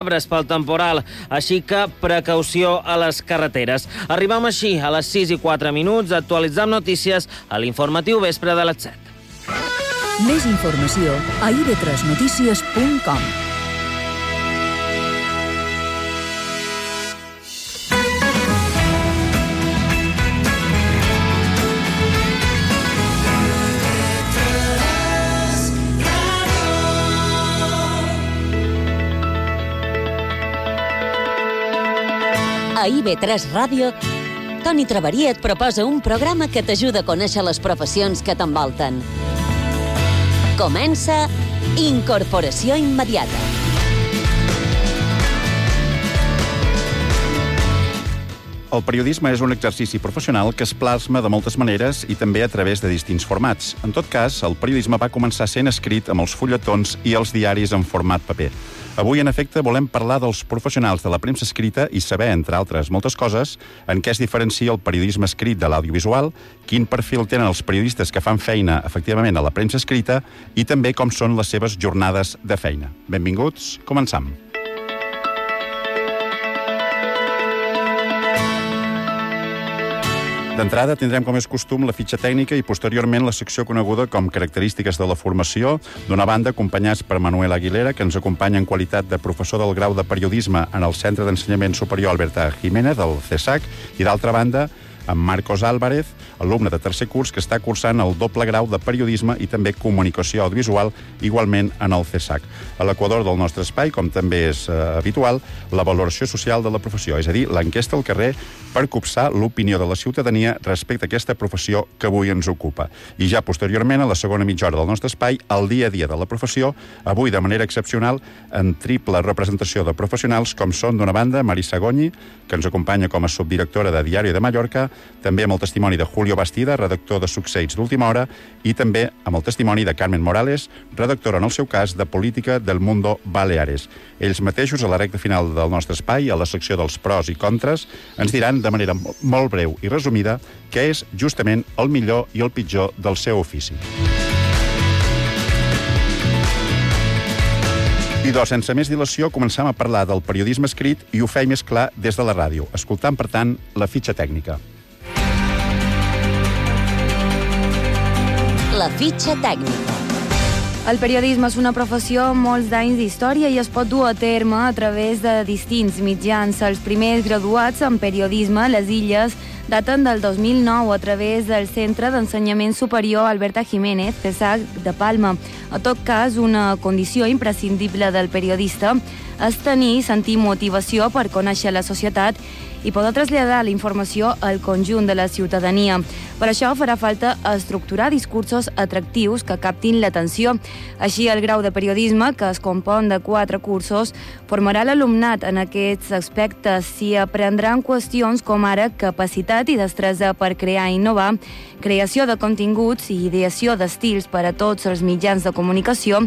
arbres pel temporal, així que precaució a les carreteres. Arribem així a les 6:04, actualitzam notícies a l'informatiu vespre de les 7. Més informació a ib3notícies.com. A IB3 Ràdio, Toni Traveria et proposa un programa que t'ajuda a conèixer les professions que t'envolten. Comença Incorporació Immediata. El periodisme és un exercici professional que es plasma de moltes maneres i també a través de distints formats. En tot cas, el periodisme va començar sent escrit amb els fulletons i els diaris en format paper. Avui, en efecte, volem parlar dels professionals de la premsa escrita i saber, entre altres moltes coses, en què es diferencia el periodisme escrit de l'audiovisual, quin perfil tenen els periodistes que fan feina, efectivament, a la premsa escrita i també com són les seves jornades de feina. Benvinguts, començam. D'entrada, tindrem, com és costum, la fitxa tècnica i posteriorment la secció coneguda com característiques de la formació, d'una banda acompanyats per Manuel Aguilera, que ens acompanya en qualitat de professor del grau de periodisme en el Centre d'Ensenyament Superior Alberta Jiménez, del CESAC, i d'altra banda, amb Marcos Álvarez, alumne de tercer curs que està cursant el doble grau de periodisme i també comunicació audiovisual, igualment en el CESAC. A l'equador del nostre espai, com també és habitual, la valoració social de la professió, és a dir, l'enquesta al carrer per copsar l'opinió de la ciutadania respecte a aquesta professió que avui ens ocupa. I ja posteriorment, a la segona mitja hora del nostre espai, el dia a dia de la professió, avui de manera excepcional, en triple representació de professionals, com són, d'una banda, Marisa Goñi, que ens acompanya com a subdirectora de Diari de Mallorca, també amb el testimoni de Julio Bastida, redactor de Succeïts d'Última Hora, i també amb el testimoni de Carmen Morales, redactora, en el seu cas, de Política del Mundo Baleares. Ells mateixos, a la recta final del nostre espai, a la secció dels pros i contres, ens diran de manera molt breu i resumida què és justament el millor i el pitjor del seu ofici. I sense més dilació, començam a parlar del periodisme escrit i ho feim més clar des de la ràdio, escoltant, per tant, la fitxa tècnica. La fitxa tècnica. El periodisme és una professió amb molts d'anys d'història i es pot dur a terme a través de distints mitjans. Els primers graduats en periodisme a les Illes daten del 2009 a través del Centre d'Ensenyament Superior Alberta Jiménez, CESAC de Palma. En tot cas, una condició imprescindible del periodista és tenir i sentir motivació per conèixer la societat i poder traslladar la informació al conjunt de la ciutadania. Per això farà falta estructurar discursos atractius que captin l'atenció. Així, el grau de periodisme, que es compon de 4 cursos, formarà l'alumnat en aquests aspectes. S'hi aprendran qüestions com ara capacitat i destresa per crear i innovar, creació de continguts i ideació d'estils per a tots els mitjans de comunicació,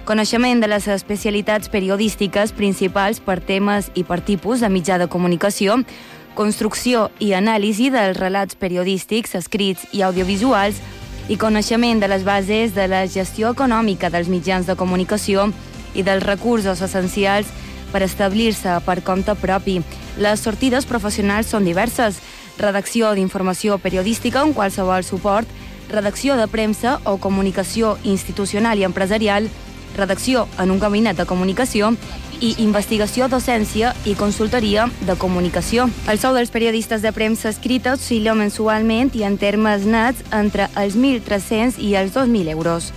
coneixement de les especialitats periodístiques principals per temes i per tipus de mitjà de comunicació, construcció i anàlisi dels relats periodístics, escrits i audiovisuals i coneixement de les bases de la gestió econòmica dels mitjans de comunicació i dels recursos essencials per establir-se per compte propi. Les sortides professionals són diverses: redacció d'informació periodística en qualsevol suport, redacció de premsa o comunicació institucional i empresarial, redacció en un gabinet de comunicació i investigació, docència i consultoria de comunicació. El sou dels periodistes de premsa escrita oscil·la mensualment i en termes nets entre els 1.300 i els 2.000 euros.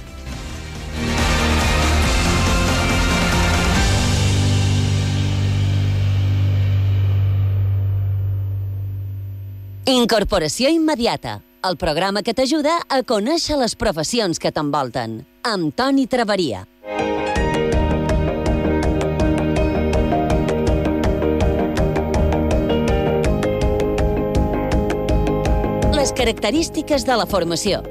Incorporació Immediata, el programa que t'ajuda a conèixer les professions que t'envolten, amb Toni Traveria. Les característiques de la formació.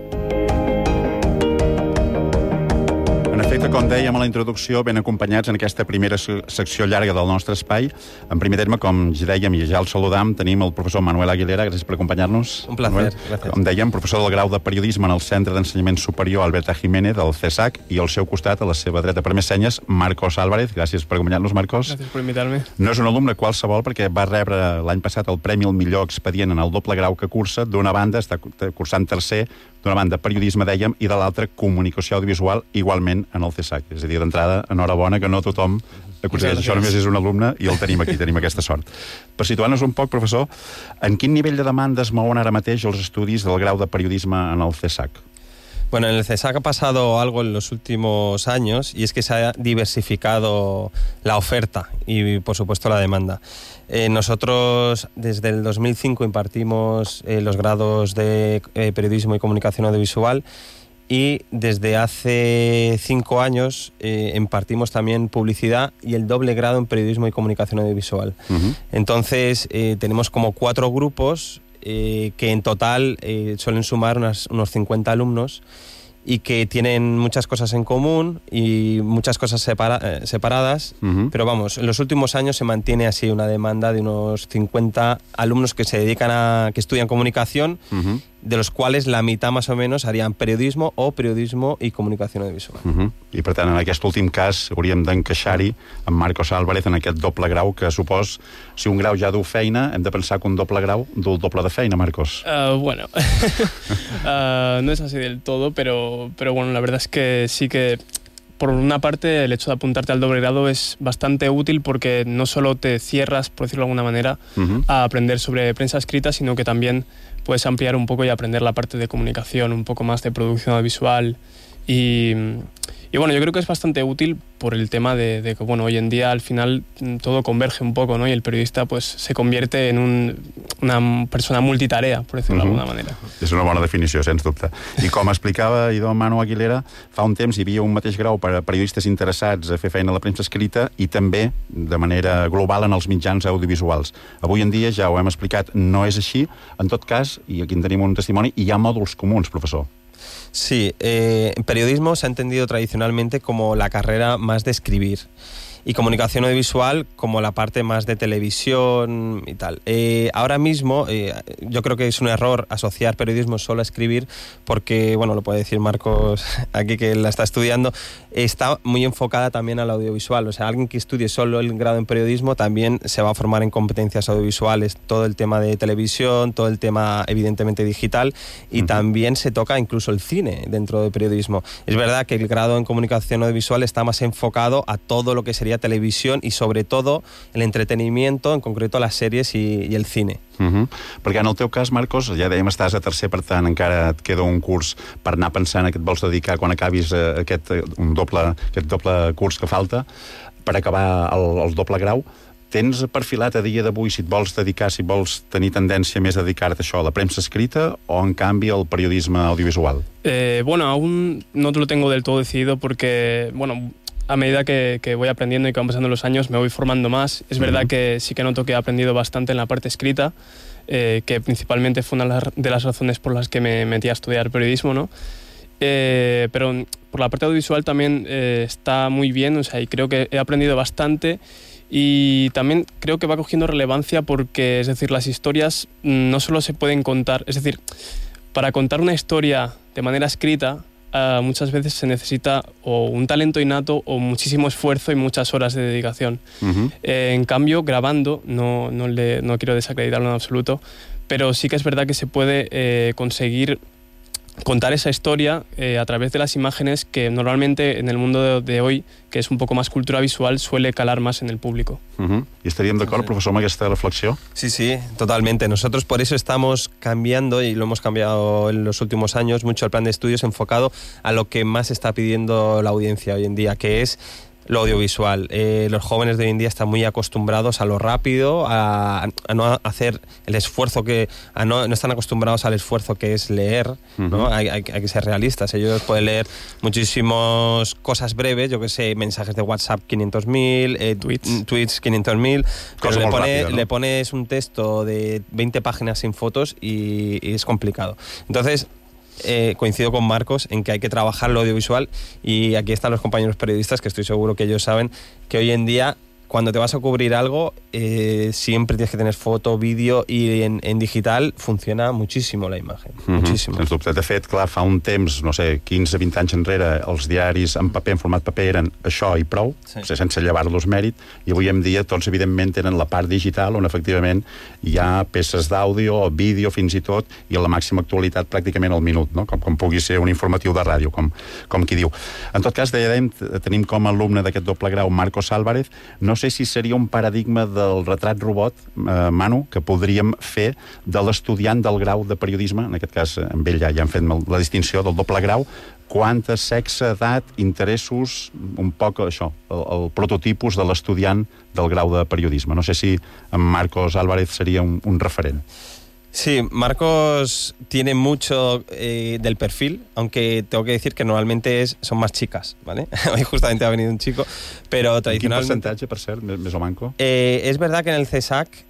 En Perfecte, com dèiem a la introducció, ben acompanyats en aquesta primera secció llarga del nostre espai. En primer terme, com ja dèiem i ja el saludam, tenim el professor Manuel Aguilera. Gràcies per acompanyar-nos. Un placer, gràcies. Com dèiem, professor del grau de Periodisme en el Centre d'Ensenyament Superior Alberta Jiménez del CESAC, i al seu costat, a la seva dreta per més senyes, Marcos Álvarez. Gràcies per acompanyar-nos, Marcos. Gràcies per invitar-me. No és un alumne qualsevol, perquè va rebre l'any passat el Premi al millor expedient en el doble grau que cursa. D'una banda, està cursant tercer, d'una banda periodisme, dèiem, i de l'altra comunicació audiovisual, igualment en el CESAC. És a dir, d'entrada, enhorabona, que no tothom aconsegueix això, només és un alumne i el tenim aquí, tenim aquesta sort. Per situar-nos un poc, professor, en quin nivell de demanda es mouen ara mateix els estudis del grau de periodisme en el CESAC? Bueno, en el CESAC ha pasado algo en los últimos años y es que se ha diversificado la oferta y, por supuesto, la demanda. Nosotros desde el 2005 impartimos los grados de periodismo y comunicación audiovisual y desde hace 5 años impartimos también publicidad y el doble grado en periodismo y comunicación audiovisual. Entonces tenemos como 4 grupos que en total suelen sumar unos 50 alumnos y que tienen muchas cosas en común y muchas cosas separadas, pero vamos, en los últimos años se mantiene así una demanda de unos 50 alumnos que se dedican que estudian comunicación, de los cuales la mitad más o menos harían periodismo o periodismo i comunicació audiovisual. I per tant, en aquest últim cas hauríem d'encaixar-hi amb Marcos Álvarez en aquest doble grau que supos, si un grau ja du feina, hem de pensar que un doble grau du el doble de feina, Marcos. Bueno, no es así del todo, pero bueno, la verdad es que sí que por una parte el hecho de apuntarte al doble grado es bastante útil porque no solo te cierras, por decirlo de alguna manera, a aprender sobre prensa escrita, sino que también puedes ampliar un poco y aprender la parte de comunicación, un poco más de producción audiovisual y bueno, yo creo que es bastante útil por el tema de que, bueno, hoy en día al final todo converge un poco, ¿no? Y el periodista pues se convierte en una persona multitarea, por decirlo de alguna manera. És una bona definició, sens dubte. I com explicava idò Manu Aguilera, fa un temps hi havia un mateix grau per a periodistes interessats a fer feina a la premsa escrita i també de manera global en els mitjans audiovisuals. Avui en dia, ja ho hem explicat, no és així. En tot cas, i aquí en tenim un testimoni, hi ha mòduls comuns, professor. Sí, en periodismo se ha entendido tradicionalmente como la carrera más de escribir y comunicación audiovisual como la parte más de televisión y tal. Ahora mismo yo creo que es un error asociar periodismo solo a escribir porque, bueno, lo puede decir Marcos aquí que la está estudiando, está muy enfocada también al audiovisual. O sea, alguien que estudie solo el grado en periodismo también se va a formar en competencias audiovisuales, todo el tema de televisión, todo el tema evidentemente digital y también se toca incluso el cine dentro del periodismo. Es verdad que el grado en comunicación audiovisual está más enfocado a todo lo que sería televisión y sobre todo el entretenimiento, en concreto las sèries i el cine. Perquè en el teu cas, Marcos, ja dèiem, estàs a tercer, per tant encara et queda un curs per anar pensant a què et vols dedicar quan acabis aquest doble curs que falta per acabar el doble grau. Tens perfilat a dia d'avui si et vols dedicar, si vols tenir tendència més a dedicar-te a això, a la premsa escrita o, en canvi, al periodisme audiovisual? Bueno, aún no lo tengo del todo decidido porque, bueno, a medida que voy aprendiendo y que van pasando los años me voy formando más. Es verdad que sí que noto que he aprendido bastante en la parte escrita, que principalmente fue una de las razones por las que me metí a estudiar periodismo, ¿no? Pero por la parte audiovisual también está muy bien, o sea, y creo que he aprendido bastante y también creo que va cogiendo relevancia porque, es decir, las historias no solo se pueden contar, es decir, para contar una historia de manera escrita muchas veces se necesita o un talento innato o muchísimo esfuerzo y muchas horas de dedicación. En cambio, grabando, no quiero desacreditarlo en absoluto, pero sí que es verdad que se puede conseguir contar esa historia a través de las imágenes que normalmente en el mundo de hoy, que es un poco más cultura visual, suele calar más en el público. ¿Y estaríem d'acord, professor, amb aquesta reflexió? Sí, totalmente. Nosotros por eso estamos cambiando, y lo hemos cambiado en los últimos años, mucho el plan de estudios enfocado a lo que más está pidiendo la audiencia hoy en día, que es lo audiovisual. Los jóvenes de hoy en día están muy acostumbrados a lo rápido, a no hacer el esfuerzo no están acostumbrados al esfuerzo que es leer, ¿no? Hay que ser realistas. Ellos pueden leer muchísimas cosas breves, yo que sé, mensajes de WhatsApp 500.000, tweets 500.000, pero le pones un texto de 20 páginas sin fotos y es complicado. Entonces, coincido con Marcos en que hay que trabajar lo audiovisual, y aquí están los compañeros periodistas que estoy seguro que ellos saben que hoy en día cuando te vas a cubrir algo siempre tienes que tener foto, vídeo, i en digital funciona muchísimo la imatge, muchísimo. Sens dubte. De fet, clar, fa un temps, no sé, 15-20 anys enrere, els diaris en paper, en format paper, eren això i prou, sense llevar-los mèrit, i avui en dia tots, evidentment, tenen la part digital on, efectivament, hi ha peces d'àudio o vídeo, fins i tot, i a la màxima actualitat pràcticament al minut, no? Com pugui ser un informatiu de ràdio, com qui diu. En tot cas, dèiem, tenim com a alumne d'aquest doble grau Marcos Álvarez. No sé si seria un paradigma del retrat robot, Manu, que podríem fer de l'estudiant del grau de periodisme, en aquest cas amb ell ja han fet la distinció del doble grau, quanta sexe, edat, interessos, un poc això, el prototipus de l'estudiant del grau de periodisme. No sé si en Marcos Álvarez seria un referent. Sí, Marcos tiene mucho del perfil, aunque tengo que decir que normalmente son más chicas, ¿vale? Hoy justamente ha venido un chico, pero tradicionalmente... ¿En qué porcentaje, per cert, més o manco? Es verdad que en el CESAC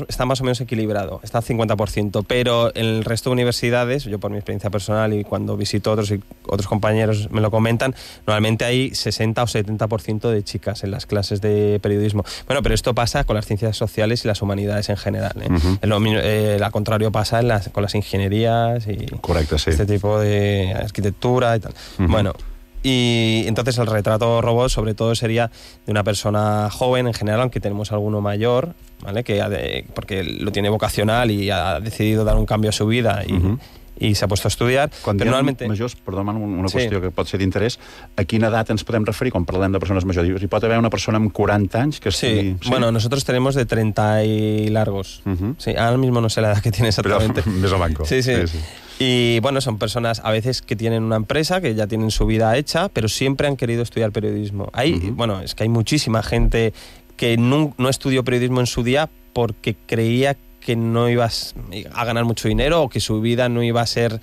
está más o menos equilibrado, está al 50%, pero en el resto de universidades, yo por mi experiencia personal y cuando visito otros compañeros me lo comentan, normalmente hay 60 o 70% de chicas en las clases de periodismo. Bueno, pero esto pasa con las ciencias sociales y las humanidades en general, ¿eh? Al contrario pasa con las ingenierías y correcto, sí. Este tipo de arquitectura y tal. Bueno, y entonces el retrato robot sobre todo sería de una persona joven en general, aunque tenemos alguno mayor, ¿vale? Porque lo tiene vocacional y ha decidido dar un cambio a su vida i s'ha puesto a estudiar. Quan diem normalmente... majors, perdona, una qüestió que pot ser d'interès, a quina edat ens podem referir quan parlem de persones majors? Hi pot haver una persona amb 40 anys que estigui... Sí, bueno, nosotros tenemos de 30 y largos. Sí, ahora mismo no sé la edad que tiene exactamente. Pero més o manco. Sí. Y bueno, son personas a veces que tienen una empresa, que ya tienen su vida hecha, pero siempre han querido estudiar periodismo. Bueno, es que hay muchísima gente que no estudió periodismo en su día porque creía que no ibas a ganar mucho dinero o que su vida no iba a ser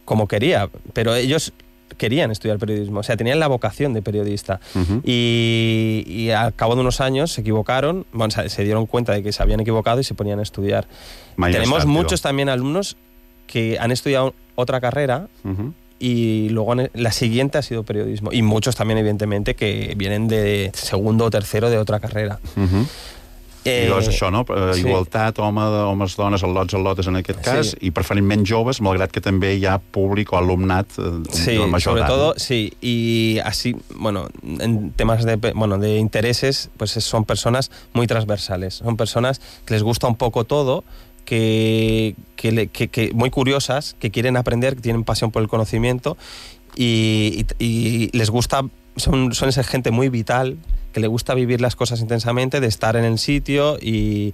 como quería, pero ellos querían estudiar periodismo, o sea, tenían la vocación de periodista. Y al cabo de unos años se equivocaron, bueno, se dieron cuenta de que se habían equivocado y se ponían a estudiar. Tenemos muchos también alumnos que han estudiado otra carrera y luego la siguiente ha sido periodismo. Y muchos también, evidentemente, que vienen de segundo o tercero de otra carrera. I llavors això, no? Igualtat, homes, dones, al·lotes en aquest cas, i preferentment joves, malgrat que també hi ha públic o alumnat de major sobre todo, sí, y así, bueno, en temas de intereses, pues son personas muy transversales, son personas que les gusta un poco todo, que muy curiosas, que quieren aprender, que tienen pasión por el conocimiento y les gusta, son esa gente muy vital, que le gusta vivir las cosas intensamente, de estar en el sitio y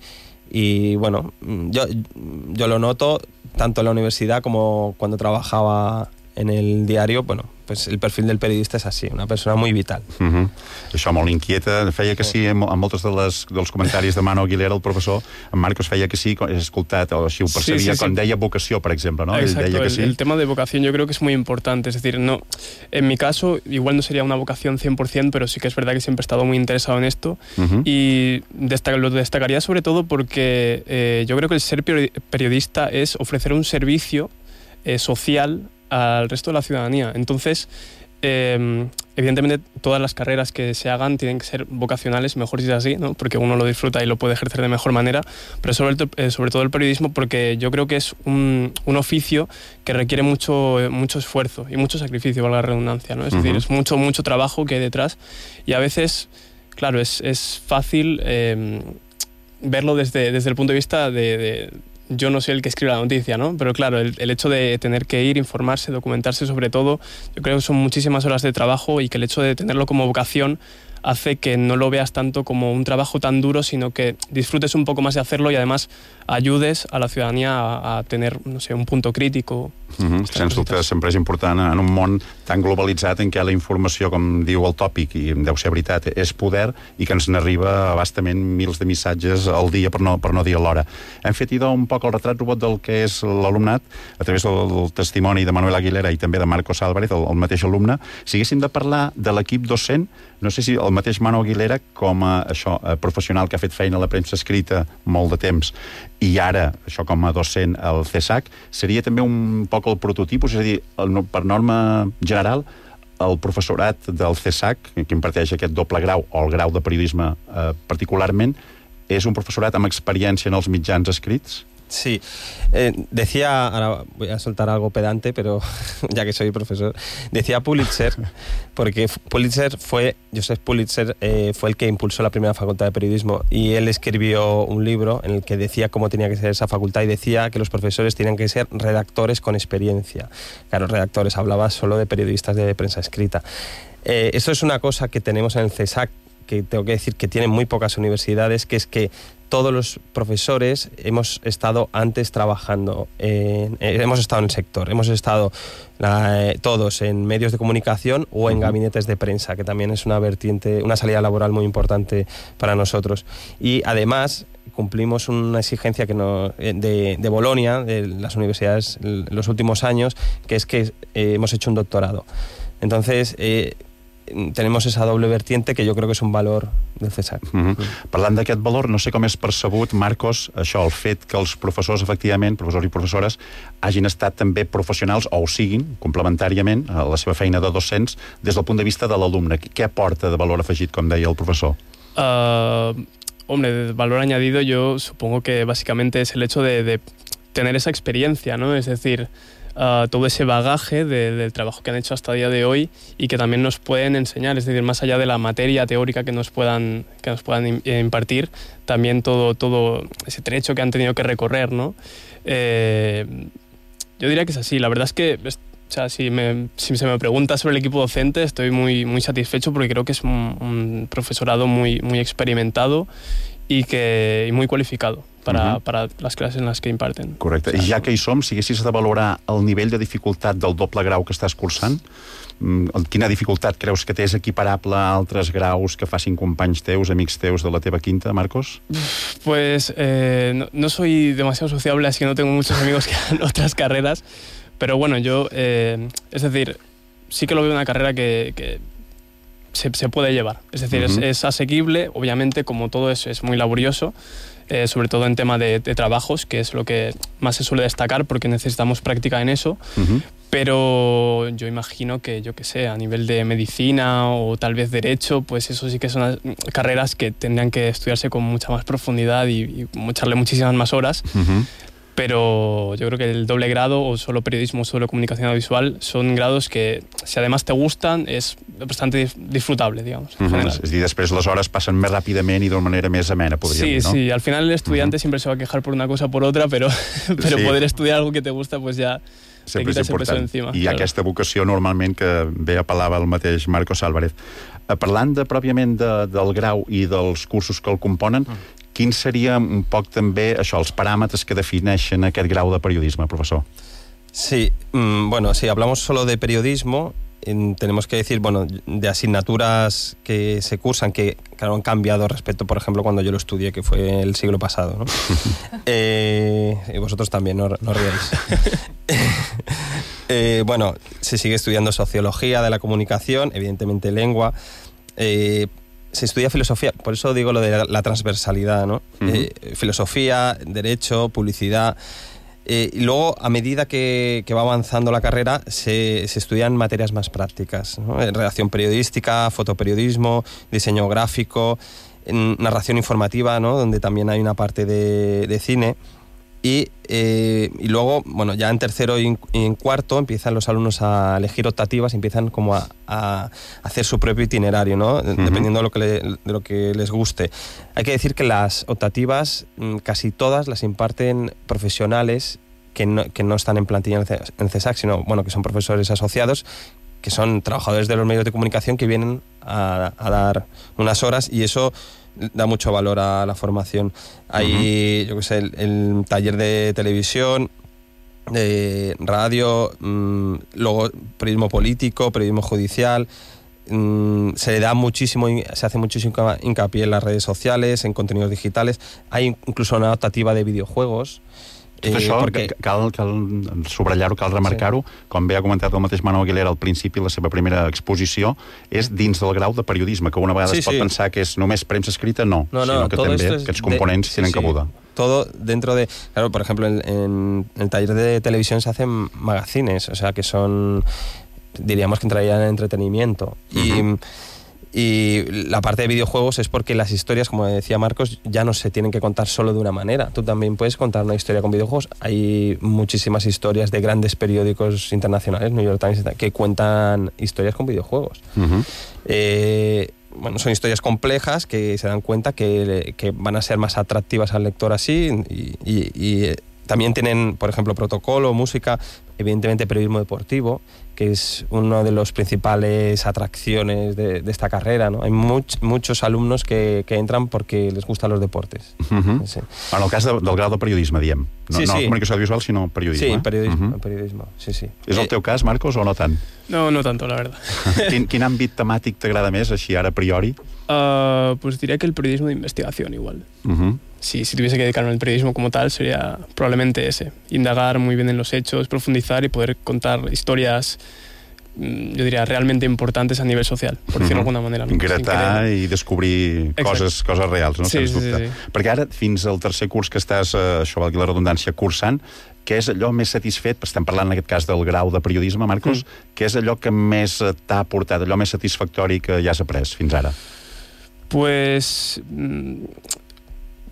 bueno, yo lo noto tanto en la universidad como cuando trabajaba en el diario. Bueno, pues el perfil del periodista és així, una persona muy vital. Això molt inquieta. Feia que sí, amb molts dels comentaris de Manu Aguilera, el professor, en Marcos feia que sí, he escoltat, o així ho percebia, quan deia vocació, por ejemplo, ¿no? Exacto, que sí. El tema de vocación yo creo que es muy importante, es decir, no, en mi caso igual no sería una vocación 100%, pero sí que es verdad que siempre he estado muy interesado en esto y lo destacaría sobre todo porque yo creo que el ser periodista es ofrecer un servicio social al resto de la ciudadanía. Entonces, evidentemente todas las carreras que se hagan tienen que ser vocacionales, mejor si es así, ¿no? Porque uno lo disfruta y lo puede ejercer de mejor manera, pero sobre todo el periodismo, porque yo creo que es un oficio que requiere mucho esfuerzo y mucho sacrificio, valga la redundancia, ¿no? Es decir, es mucho trabajo que hay detrás y a veces, claro, es fácil verlo desde el punto de vista de yo no soy el que escribe la noticia, ¿no? Pero claro, el hecho de tener que ir, informarse, documentarse sobre todo, yo creo que son muchísimas horas de trabajo y que el hecho de tenerlo como vocación hace que no lo veas tanto como un trabajo tan duro, sino que disfrutes un poco más de hacerlo y además ayudes a la ciudadanía a tener, no sé, un punto crítico. Sens dubte, sempre és important en un món tan globalitzat en què la informació, com diu el tòpic, i deu ser veritat, és poder i que ens n'arriba abastament mils de missatges al dia, per no dir a l'hora. Hem fet idò un poc el retrat robot del que és l'alumnat a través del testimoni de Manuel Aguilera i també de Marcos Álvarez, el mateix alumne. Si haguéssim de parlar de l'equip docent, no sé si el mateix Manu Aguilera, com a professional que ha fet feina a la premsa escrita molt de temps, i ara, això com a docent al CESAC, seria també un poc el prototip, és a dir, per norma general, el professorat del CESAC, que imparteix aquest doble grau, o el grau de periodisme particularment, és un professorat amb experiència en els mitjans escrits? Sí, decía, ahora voy a soltar algo pedante, pero ya que soy profesor, decía Pulitzer, porque Joseph Pulitzer fue el que impulsó la primera facultad de periodismo, y él escribió un libro en el que decía cómo tenía que ser esa facultad, y decía que los profesores tenían que ser redactores con experiencia. Claro, redactores, hablaba solo de periodistas de prensa escrita. Esto es una cosa que tenemos en el CESAC, que tengo que decir que tienen muy pocas universidades, que es que todos los profesores hemos estado antes trabajando, hemos estado en el sector, hemos estado todos en medios de comunicación o en gabinetes de prensa, que también es una vertiente, una salida laboral muy importante para nosotros. Y además cumplimos una exigencia de Bolonia, de las universidades en los últimos años, que es que hemos hecho un doctorado. Entonces, tenemos esa doble vertiente que jo crec que és un valor del CESAC. Parlant d'aquest valor, no sé com és percebut, Marcos, això, el fet que els professors, efectivament, professors i professores, hagin estat també professionals, o ho siguin, complementàriament, a la seva feina de docents, des del punt de vista de l'alumne. Què aporta de valor afegit, com deia el professor? Hombre, de valor añadido yo supongo que básicamente es el hecho de tener esa experiencia, ¿no? Es decir, todo ese bagaje del trabajo que han hecho hasta el día de hoy y que también nos pueden enseñar, es decir, más allá de la materia teórica que nos puedan impartir, también todo ese trecho que han tenido que recorrer, ¿no? Yo diría que es así. La verdad es que, o sea, si se me pregunta sobre el equipo docente, estoy muy, muy satisfecho porque creo que es un profesorado muy, muy experimentado y muy cualificado para les classes en les que imparten. Correcte. I ja que hi som, si haguessis de valorar el nivell de dificultat del doble grau que estàs cursant, quina dificultat creus que té? És equiparable a altres graus que facin companys teus, amics teus de la teva quinta, Marcos? Pues no soy demasiado sociable, así que no tengo muchos amigos que hagan otras carreras, pero bueno, yo, es decir, sí que lo veo una carrera que se puede llevar. Es decir, es asequible, obviamente, como todo es muy laborioso, sobre todo en tema de trabajos, que es lo que más se suele destacar porque necesitamos práctica en eso, pero yo imagino que, yo qué sé, a nivel de medicina o tal vez derecho, pues eso sí que son carreras que tendrían que estudiarse con mucha más profundidad y echarle muchísimas más horas. Pero yo creo que el doble grado o solo periodismo o solo comunicación audiovisual son grados que, si además te gustan, es bastante disfrutable, digamos, en general. És a dir, després les hores passen més ràpidament i d'una manera més amena, podríem dir, ¿no? Sí, al final el estudiante siempre se va a quejar por una cosa o por otra, pero poder estudiar algo que te gusta, pues ya te quita ese peso encima. I aquesta vocació, normalment, que bé apel·lava el mateix Marcos Álvarez. Parlant pròpiament del grau i dels cursos que el componen, quins serien un poc també això, els paràmetres que defineixen aquest grau de periodisme, professor? Sí, bueno, si hablamos solo de periodismo, tenemos que decir, bueno, de asignaturas que se cursan, que claro, han cambiado respecto, por ejemplo, cuando yo lo estudié, que fue el siglo pasado, ¿no? Y vosotros también, no ríais. Bueno, se sigue estudiando sociología de la comunicación, evidentemente lengua, se estudia filosofía, por eso digo lo de la transversalidad, ¿no? Filosofía, derecho, publicidad. Y luego, a medida que va avanzando la carrera, se estudian materias más prácticas, ¿no? Redacción periodística, fotoperiodismo, diseño gráfico, narración informativa, ¿no? Donde también hay una parte de cine. Y luego, bueno, ya en tercero y en cuarto empiezan los alumnos a elegir optativas y empiezan como a hacer su propio itinerario, ¿no? Dependiendo de lo que les guste. Hay que decir que las optativas, casi todas las imparten profesionales que no están en plantilla en CESAC, sino, bueno, que son profesores asociados, que son trabajadores de los medios de comunicación que vienen a dar unas horas, y eso da mucho valor a la formación. Hay, yo qué sé, el taller de televisión, de radio, luego periodismo político, periodismo judicial. Se hace muchísimo hincapié en las redes sociales, en contenidos digitales. Hay incluso una optativa de videojuegos Tot això cal subratllar-ho, cal remarcar-ho. Com bé ha comentat el mateix Manuel Aguilera al principi, la seva primera exposició és dins del grau de periodisme, que una vegada es pot pensar que és només premsa escrita, no, sinó que també aquests components tienen cabuda. Todo dentro de... Claro, por ejemplo, en el taller de televisión se hacen magazines, o sea, que son, diríamos que entrarían en entretenimiento. Y la parte de videojuegos es porque las historias, como decía Marcos, ya no se tienen que contar solo de una manera. Tú también puedes contar una historia con videojuegos. Hay muchísimas historias de grandes periódicos internacionales, New York Times, que cuentan historias con videojuegos. Bueno, son historias complejas que se dan cuenta que van a ser más atractivas al lector así y también tienen, por ejemplo, protocolo, música, evidentemente periodismo deportivo, que es una de las principales atracciones de esta carrera, ¿no? Hay muchos alumnos que entran porque les gustan los deportes. Sí. En el cas del grau de periodisme, diem. No comunicació audiovisual, sinó periodisme. Sí, periodismo, sí. És el teu cas, Marcos, o no tant? No tanto, la verdad. Quin àmbit temàtic t'agrada més, així ara a priori? Pues diría que el periodismo de investigación igual. Si tuviese que dedicarme al periodismo como tal, sería probablemente ese. Indagar muy bien en los hechos, profundizar y poder contar historias, yo diría, realmente importantes a nivel social, por decirlo de alguna manera. No? Gratar i descobrir coses reals, no? Sí. Perquè ara, fins al tercer curs que estàs, això valgui la redundància, cursant, què és allò més satisfet, estem parlant en aquest cas del grau de periodisme, Marcos, què és allò que més t'ha aportat, allò més satisfactori que ja has après fins ara? Pues...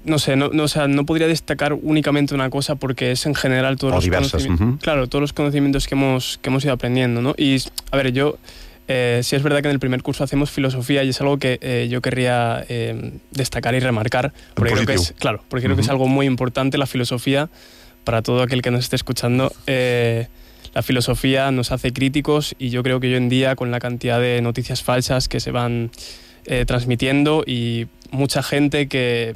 No sé, no podría destacar únicamente una cosa porque es en general todos los conocimientos. Claro, todos los conocimientos que hemos ido aprendiendo, ¿no? Y, a ver, sí es verdad que en el primer curso hacemos filosofía y es algo que yo querría destacar y remarcar, porque creo que es, creo que es algo muy importante la filosofía para todo aquel que nos esté escuchando. La filosofía nos hace críticos y yo creo que hoy en día, con la cantidad de noticias falsas que se van transmitiendo y mucha gente que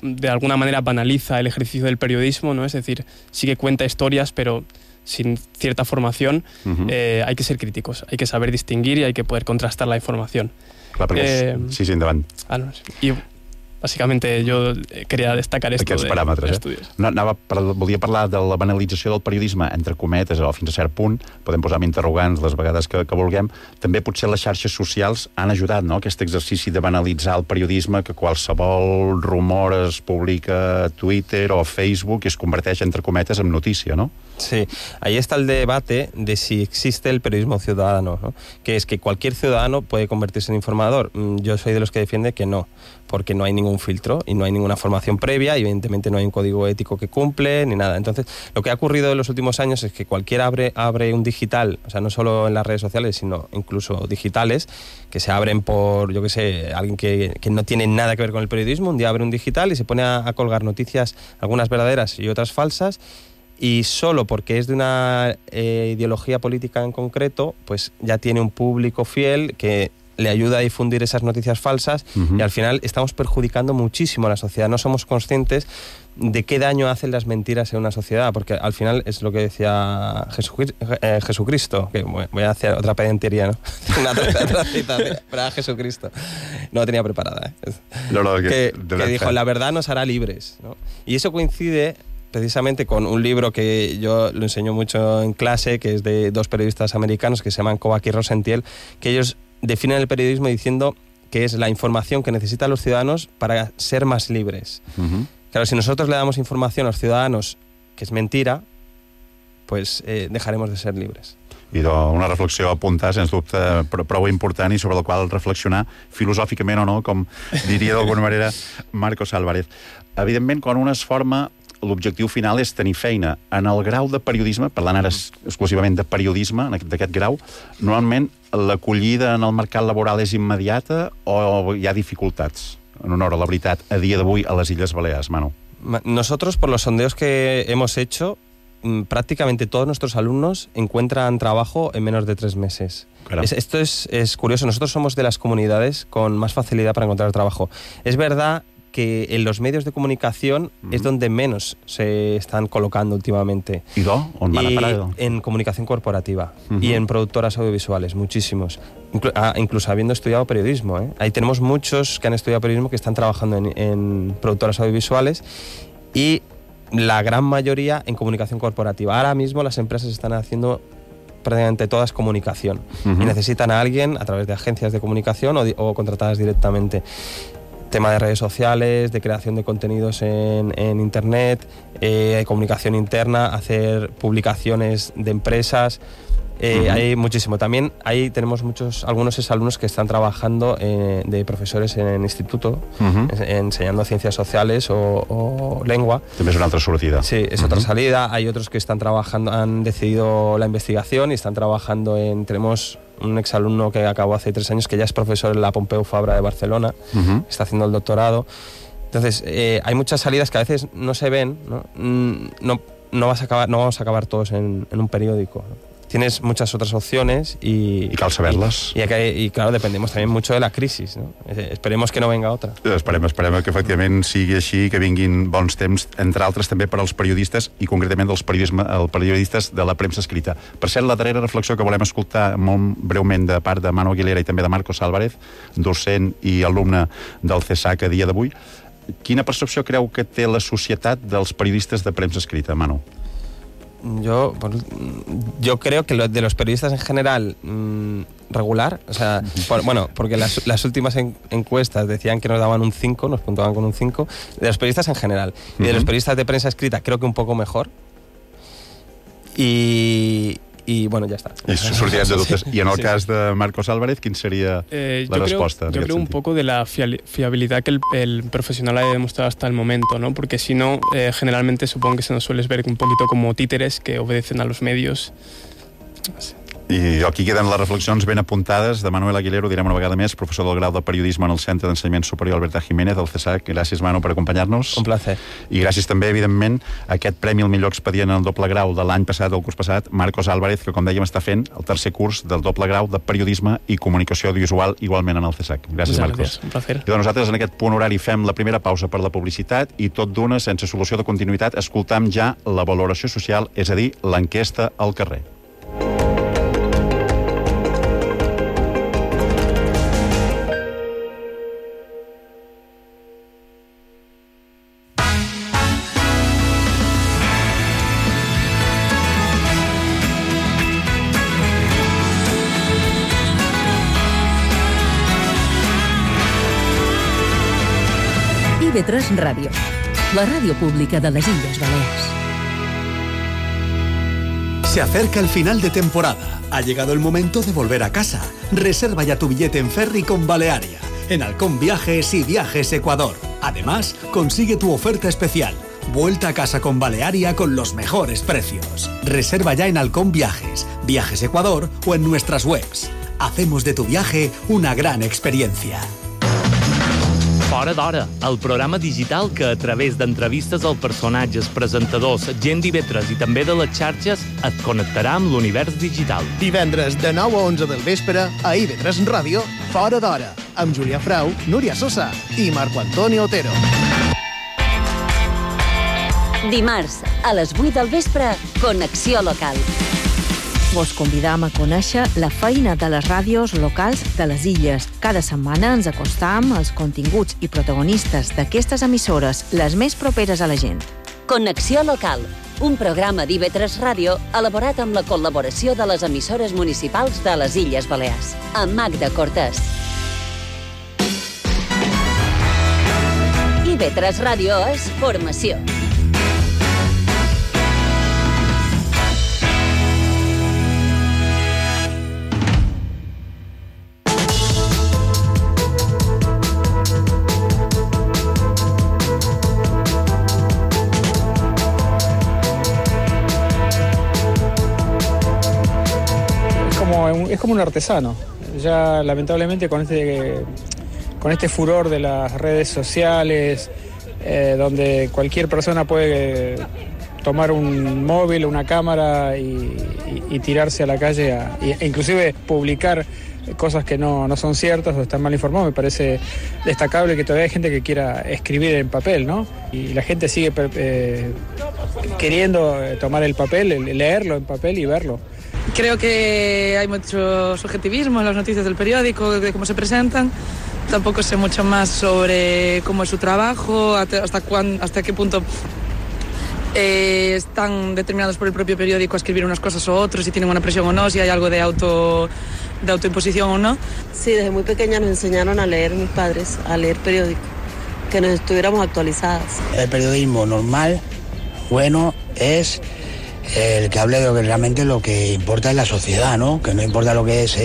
de alguna manera banaliza el ejercicio del periodismo, ¿no? Es decir, sí que cuenta historias, pero sin cierta formación, hay que ser críticos, hay que saber distinguir y hay que poder contrastar la información. Clar, sí, endavant. I bàsicamente jo queria destacar aquests paràmetres. Volia parlar de la banalització del periodisme, entre cometes, o fins a cert punt, podem posar interrogants les vegades que vulguem. També potser les xarxes socials han ajudat, no?, aquest exercici de banalitzar el periodisme, que qualsevol rumor es publica a Twitter o a Facebook i es converteix, entre cometes, en notícia, no? Sí, ahí está el debate de si existe el periodismo ciudadano, ¿no? Que es que cualquier ciudadano puede convertirse en informador. Yo soy de los que defiende que no, porque no hay ningún filtro y no hay ninguna formación previa y evidentemente no hay un código ético que cumple ni nada. Entonces, lo que ha ocurrido en los últimos años es que cualquiera abre un digital, o sea, no solo en las redes sociales, sino incluso digitales, que se abren por, yo qué sé, alguien que no tiene nada que ver con el periodismo, un día abre un digital y se pone a colgar noticias, algunas verdaderas y otras falsas, y solo porque es de una ideología política en concreto, pues ya tiene un público fiel que le ayuda a difundir esas noticias falsas y al final estamos perjudicando muchísimo a la sociedad. No somos conscientes de qué daño hacen las mentiras en una sociedad, porque al final es lo que decía Jesucristo, que voy a hacer otra pedantería, ¿no? otra cita para Jesucristo. No la tenía preparada, que dijo, la verdad nos hará libres, ¿no? Y eso coincide precisamente con un libro que yo lo enseño mucho en clase, que es de dos periodistas americanos que se llaman Kovac y Rosentiel, que ellos definen el periodismo diciendo que es la información que necesitan los ciudadanos para ser más libres. Claro, si nosotros le damos información a los ciudadanos que es mentira, pues dejaremos de ser libres. I una reflexió a apuntar, sens dubte, prou important i sobre la qual reflexionar filosòficament o no, com diria d'alguna manera Marcos Álvarez. Evidentment, quan un es forma, l'objectiu final és tenir feina. En el grau de periodisme, parlant ara exclusivament de periodisme, d'aquest grau, normalment l'acollida en el mercat laboral és immediata o hi ha dificultats? En honor a la veritat, a dia d'avui a les Illes Balears, Manu. Nosotros, por los sondeos que hemos hecho, prácticamente todos nuestros alumnos encuentran trabajo en menos de 3 meses. Esto es curioso. Nosotros somos de las comunidades con más facilidad para encontrar trabajo. Es verdad que en los medios de comunicación es donde menos se están colocando últimamente. ¿Y on van a parar? En comunicación corporativa y en productoras audiovisuales, muchísimos. Incluso habiendo estudiado periodismo, ¿eh? Ahí tenemos muchos que han estudiado periodismo que están trabajando en productoras audiovisuales y la gran mayoría en comunicación corporativa. Ahora mismo las empresas están haciendo prácticamente todas comunicación y necesitan a alguien a través de agencias de comunicación o contratadas directamente. Tema de redes sociales, de creación de contenidos en internet, comunicación interna, hacer publicaciones de empresas. Hay muchísimo. También ahí tenemos algunos exalumnos que están trabajando de profesores en instituto, enseñando ciencias sociales o lengua. També és una altra sortida. Sí, es otra salida. Hay otros que están trabajando, han decidido la investigación y están trabajando tenemos un exalumno que acabó hace 3 años que ya es profesor en la Pompeu Fabra de Barcelona, está haciendo el doctorado. Entonces, hay muchas salidas que a veces no se ven, no vamos a acabar todos en un periódico, ¿no? Tienes muchas otras opciones y cal saber-les. Y claro, dependemos también mucho de la crisis, ¿no? Esperemos que no venga otra. Esperem que efectivament sigui així, que vinguin bons temps, entre altres també per als periodistes i concretament els periodistes de la premsa escrita. Per cert, la darrera reflexió que volem escoltar molt breument de part de Manu Aguilera i també de Marcos Álvarez, docent i alumne del CESAC a dia d'avui. Quina percepció creu que té la societat dels periodistes de premsa escrita, Manu? Yo creo que de los periodistas en general regular, o sea, porque las últimas encuestas decían que nos daban un 5, nos puntuaban con un 5, de los periodistas en general. Y de los periodistas de prensa escrita creo que un poco mejor. Y bueno, ya está. Sortirem de dubtes. I en el cas de Marcos Álvarez, quin sería la respuesta? Yo creo un poco de la fiabilidad que el profesional haya demostrado hasta el momento, ¿no? Porque si no, generalmente supongo que se nos suele ver un poquito como títeres que obedecen a los medios. No sé. I aquí queden les reflexions ben apuntades de Manuel Aguilera, ho direm una vegada més, professor del grau de Periodisme en el Centre d'Ensenyament Superior Alberta Jiménez, del CESAC. Gràcies, Manu, per acompanyar-nos. Un placer. I gràcies també, evidentment, a aquest premi al millor expedient en el doble grau de l'any passat, del curs passat, Marcos Álvarez, que, com dèiem, està fent el tercer curs del doble grau de Periodisme i Comunicació Audiovisual, igualment en el CESAC. Gràcies, Marcos. Un placer. I nosaltres, en aquest punt horari, fem la primera pausa per la publicitat i tot d'una, sense solució de continuïtat, escoltam ja la valoració social, és a dir, l'enquesta al carrer. IB3 Ràdio, la ràdio pública de les Illes Balears. Se acerca el final de temporada. Ha llegado el momento de volver a casa. Reserva ya tu billete en ferry con Balearia, en Halcón Viajes y Viajes Ecuador. Además, consigue tu oferta especial. Vuelta a casa con Balearia con los mejores precios. Reserva ya en Halcón Viajes, Viajes Ecuador o en nuestras webs. Hacemos de tu viaje una gran experiencia. Fora d'hora, el programa digital que a través d'entrevistes als personatges, presentadors, gent d'IB3 i també de les xarxes et connectarà amb l'univers digital. Divendres de 9 a 11 del vespre a IB3 Ràdio, Fora d'hora, amb Julià Frau, Núria Sosa i Marco Antonio Otero. Dimarts, a les 8 del vespre, Connexió Local. Vos convidam a conèixer la feina de les ràdios locals de les illes. Cada setmana ens acostam als continguts i protagonistes d'aquestes emissores, les més properes a la gent. Connexió Local, un programa d'IB3 Ràdio elaborat amb la col·laboració de les emissores municipals de les Illes Balears. Amb Magda Cortés. IB3 Ràdio és formació. Es como un artesano. Ya lamentablemente con este furor de las redes sociales, donde cualquier persona puede tomar un móvil, una cámara y tirarse a la calle e inclusive publicar cosas que no son ciertas o están mal informadas. Me parece destacable que todavía hay gente que quiera escribir en papel, ¿no? Y la gente sigue queriendo tomar el papel, leerlo en papel y verlo. Creo que hay mucho subjetivismo en las noticias del periódico, de cómo se presentan. Tampoco sé mucho más sobre cómo es su trabajo, hasta qué punto están determinados por el propio periódico a escribir unas cosas o otros, si tienen una presión o no, si hay algo de autoimposición o no. Sí, desde muy pequeña nos enseñaron a leer mis padres, a leer periódico, que nos estuviéramos actualizadas. El periodismo normal, bueno, es el que hable de lo que realmente lo que importa en la sociedad, ¿no? Que no importa lo que es,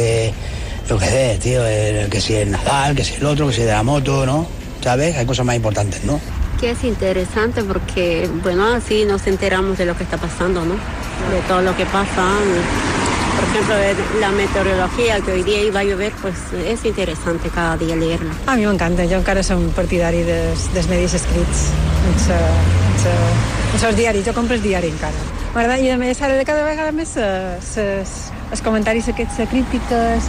lo que es, tío, que si es Nadal, que si el otro, que si de la moto, ¿no? ¿Sabes? Hay cosas más importantes, ¿no? Que es interesante porque, bueno, así nos enteramos de lo que está pasando, ¿no? De todo lo que pasa. Por ejemplo, la meteorología, que hoy día iba a llover, pues és interessant cada dia leer-la. A mi m'encanta, jo encara som partidari dels medis escrits, els diaris, jo compro el diari encara. M'agrada, i a més ara de cada vegada més els comentaris aquests, crítiques,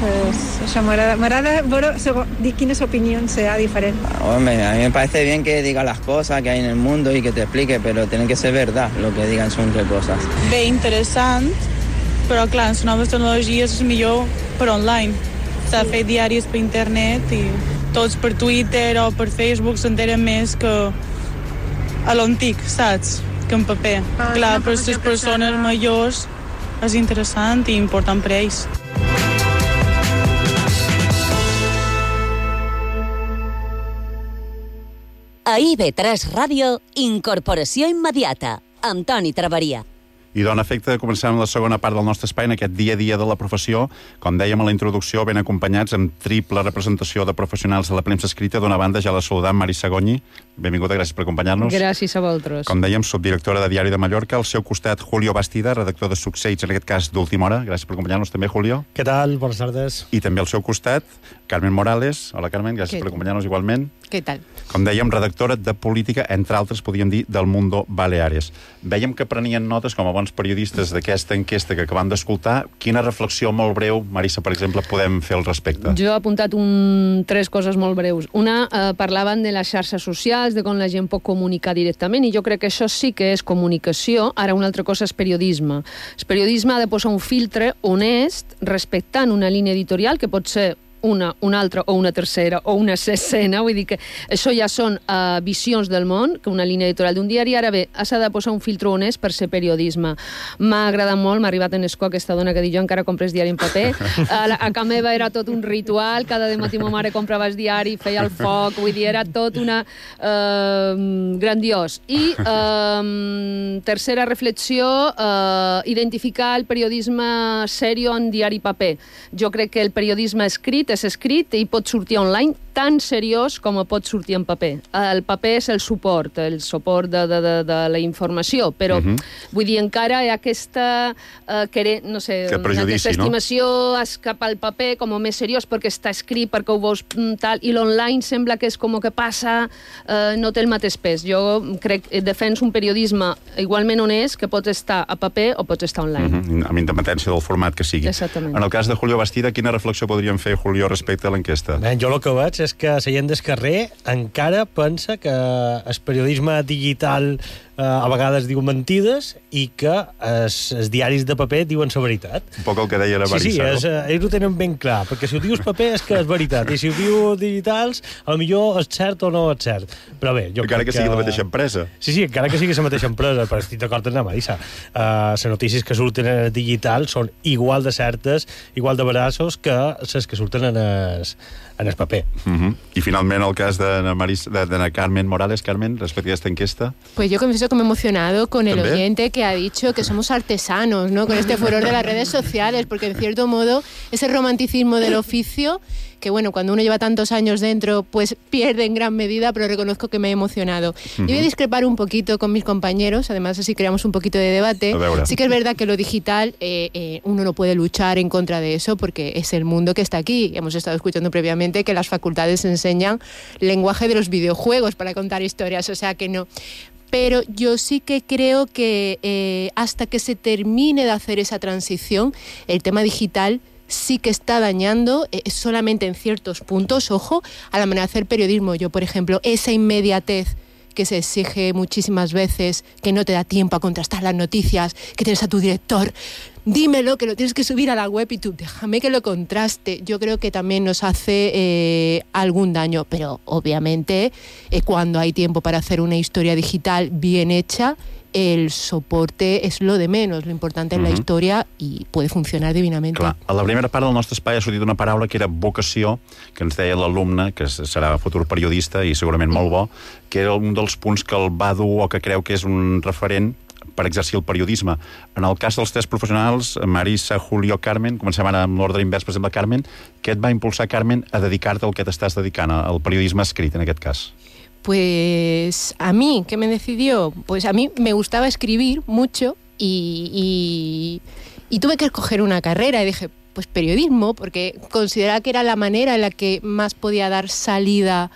això m'agrada veure quines opinions hi ha diferents. Hombre, a mí me parece bien que diga las cosas que hay en el mundo y que te explique, pero tienen que ser verdad lo que digan son qué cosas. Bé, interessant, però clar, les noves tecnologies és millor per online. S'ha de fer diaris per internet i tots per Twitter o per Facebook s'enteren més que a l'antic, saps? Que en paper. Clar, per les persones majors és interessant i important per ells. A IB3 Ràdio, Incorporació Immediata, amb Toni Traveria. I dona efecte, començant la segona part del nostre espai en aquest dia a dia de la professió, com dèiem a la introducció, ben acompanyats amb triple representació de professionals de la premsa escrita. D'una banda, ja la saludam, Mari Sagogni. Benvinguda, gràcies per acompanyar-nos. Gràcies a vosaltres. Com dèiem, subdirectora de Diari de Mallorca. Al seu costat, Julio Bastida, redactor de Succeïts, en aquest cas d'Última Hora. Gràcies per acompanyar-nos també, Julio. Què tal? Bones tardes. I també al seu costat, Carmen Morales. Hola, Carmen, gràcies per acompanyar-nos igualment. Què tal? Com dèiem, redactora de política, entre altres, podríem dir, del Mundo Baleares. Vèiem que prenien notes, com a bons periodistes, d'aquesta enquesta que acabam d'escoltar. Quina reflexió molt breu, Marissa, per exemple, podem fer al respecte? Jo he apuntat tres coses molt breus. Una, parlaven de les xarxes socials, de com la gent pot comunicar directament, i jo crec que això sí que és comunicació. Ara, una altra cosa és periodisme. El periodisme ha de posar un filtre honest, respectant una línia editorial, que pot ser una altra o una tercera o una sisena, vull dir que això ja són visions del món, que una línia editorial d'un diari. Ara bé, s'ha de posar un filtre honest per ser periodisme. M'ha agradat molt, m'ha arribat en escó aquesta dona que diu jo encara compres diari en paper. A casa meva era tot un ritual, cada dematí ma mare comprava el diari, feia el foc, vull dir, era tot una grandiós. I tercera reflexió, identificar el periodisme serio en diari paper. Jo crec que el periodisme escrit és escrit i pot sortir online tan seriós com pot sortir en paper. El paper és el suport de la informació, però vull dir, encara hi ha aquesta no sé, aquesta estimació cap al paper com més seriós perquè està escrit, perquè ho veus tal, i l'online sembla que és com que passa, no té el mateix pes. Jo crec que defenso un periodisme igualment honest que pot estar a paper o pot estar online. Amb independència del format que sigui. Exactament. En el cas de Julio Bastida, quina reflexió podríem fer, Julio, respecte a l'enquesta? Jo el que veig és que la gent del carrer encara pensa que el periodisme digital a vegades diu mentides i que els diaris de paper diuen la veritat. Un poc el que deia la Marissa, no? Sí, ells ho tenen ben clar, perquè si ho dius paper és que és veritat, i si ho diu digitals, potser és cert o no és cert. Però bé, jo encara que sigui la mateixa empresa. Sí, encara que sigui la mateixa empresa, però estic d'acord amb la Marissa. Les notícies que surten en el digital són igual de certes, igual de veraços que les que surten en el paper. I finalment el cas de Carmen Morales. Carmen, respecte a esta enquesta. Pues yo confieso que me he emocionado con el oyente que ha dicho que somos artesanos, ¿no? Con este furor de las redes sociales, porque en cierto modo ese romanticismo del oficio, que bueno, cuando uno lleva tantos años dentro, pues pierde en gran medida, pero reconozco que me he emocionado. Y voy a discrepar un poquito con mis compañeros, además así creamos un poquito de debate. Sí que es verdad que lo digital, uno no puede luchar en contra de eso, porque es el mundo que está aquí. Hemos estado escuchando previamente que las facultades enseñan lenguaje de los videojuegos para contar historias, o sea que no. Pero yo sí que creo que hasta que se termine de hacer esa transición, el tema digital sí que está dañando solamente en ciertos puntos, ojo, a la manera de hacer periodismo. Yo, por ejemplo, esa inmediatez que se exige muchísimas veces, que no te da tiempo a contrastar las noticias, que tienes a tu director dímelo, que lo tienes que subir a la web y tú, déjame que lo contraste. Yo creo que también nos hace algún daño, pero obviamente cuando hay tiempo para hacer una historia digital bien hecha, el soporte és lo de menos, lo importante és la història i puede funcionar divinament. Clar, a la primera part del nostre espai ha sortit una paraula que era vocació, que ens deia l'alumne, que serà futur periodista i segurament molt bo, que era un dels punts que el va dur o que creu que és un referent per exercir el periodisme. En el cas dels tres professionals, Marisa, Julio, Carmen, comencem ara amb l'ordre invers, per exemple, Carmen, què et va impulsar, Carmen, a dedicar-te al que t'estàs dedicant, al periodisme escrit, en aquest cas? Pues a mí, ¿qué me decidió? Pues a mí me gustaba escribir mucho y tuve que escoger una carrera y dije, pues periodismo, porque consideraba que era la manera en la que más podía dar salida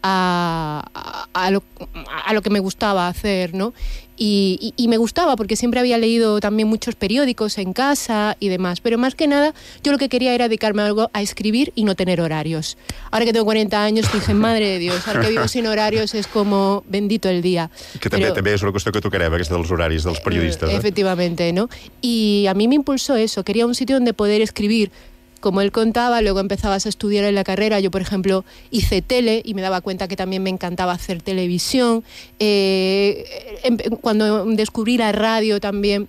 a lo que me gustaba hacer, ¿no? Y me gustaba porque siempre había leído también muchos periódicos en casa y demás, pero más que nada yo lo que quería era dedicarme a algo a escribir y no tener horarios. Ahora que tengo 40 años dije, madre de Dios, ahora que vivo sin horarios es como bendito el día. Que també és una qüestió que tocarem, aquesta dels horaris dels periodistes. Efectivamente, ¿no? Y a mí me impulsó eso, quería un sitio donde poder escribir. Como él contaba, luego empezabas a estudiar en la carrera. Yo, por ejemplo, hice tele y me daba cuenta que también me encantaba hacer televisión. Cuando descubrí la radio también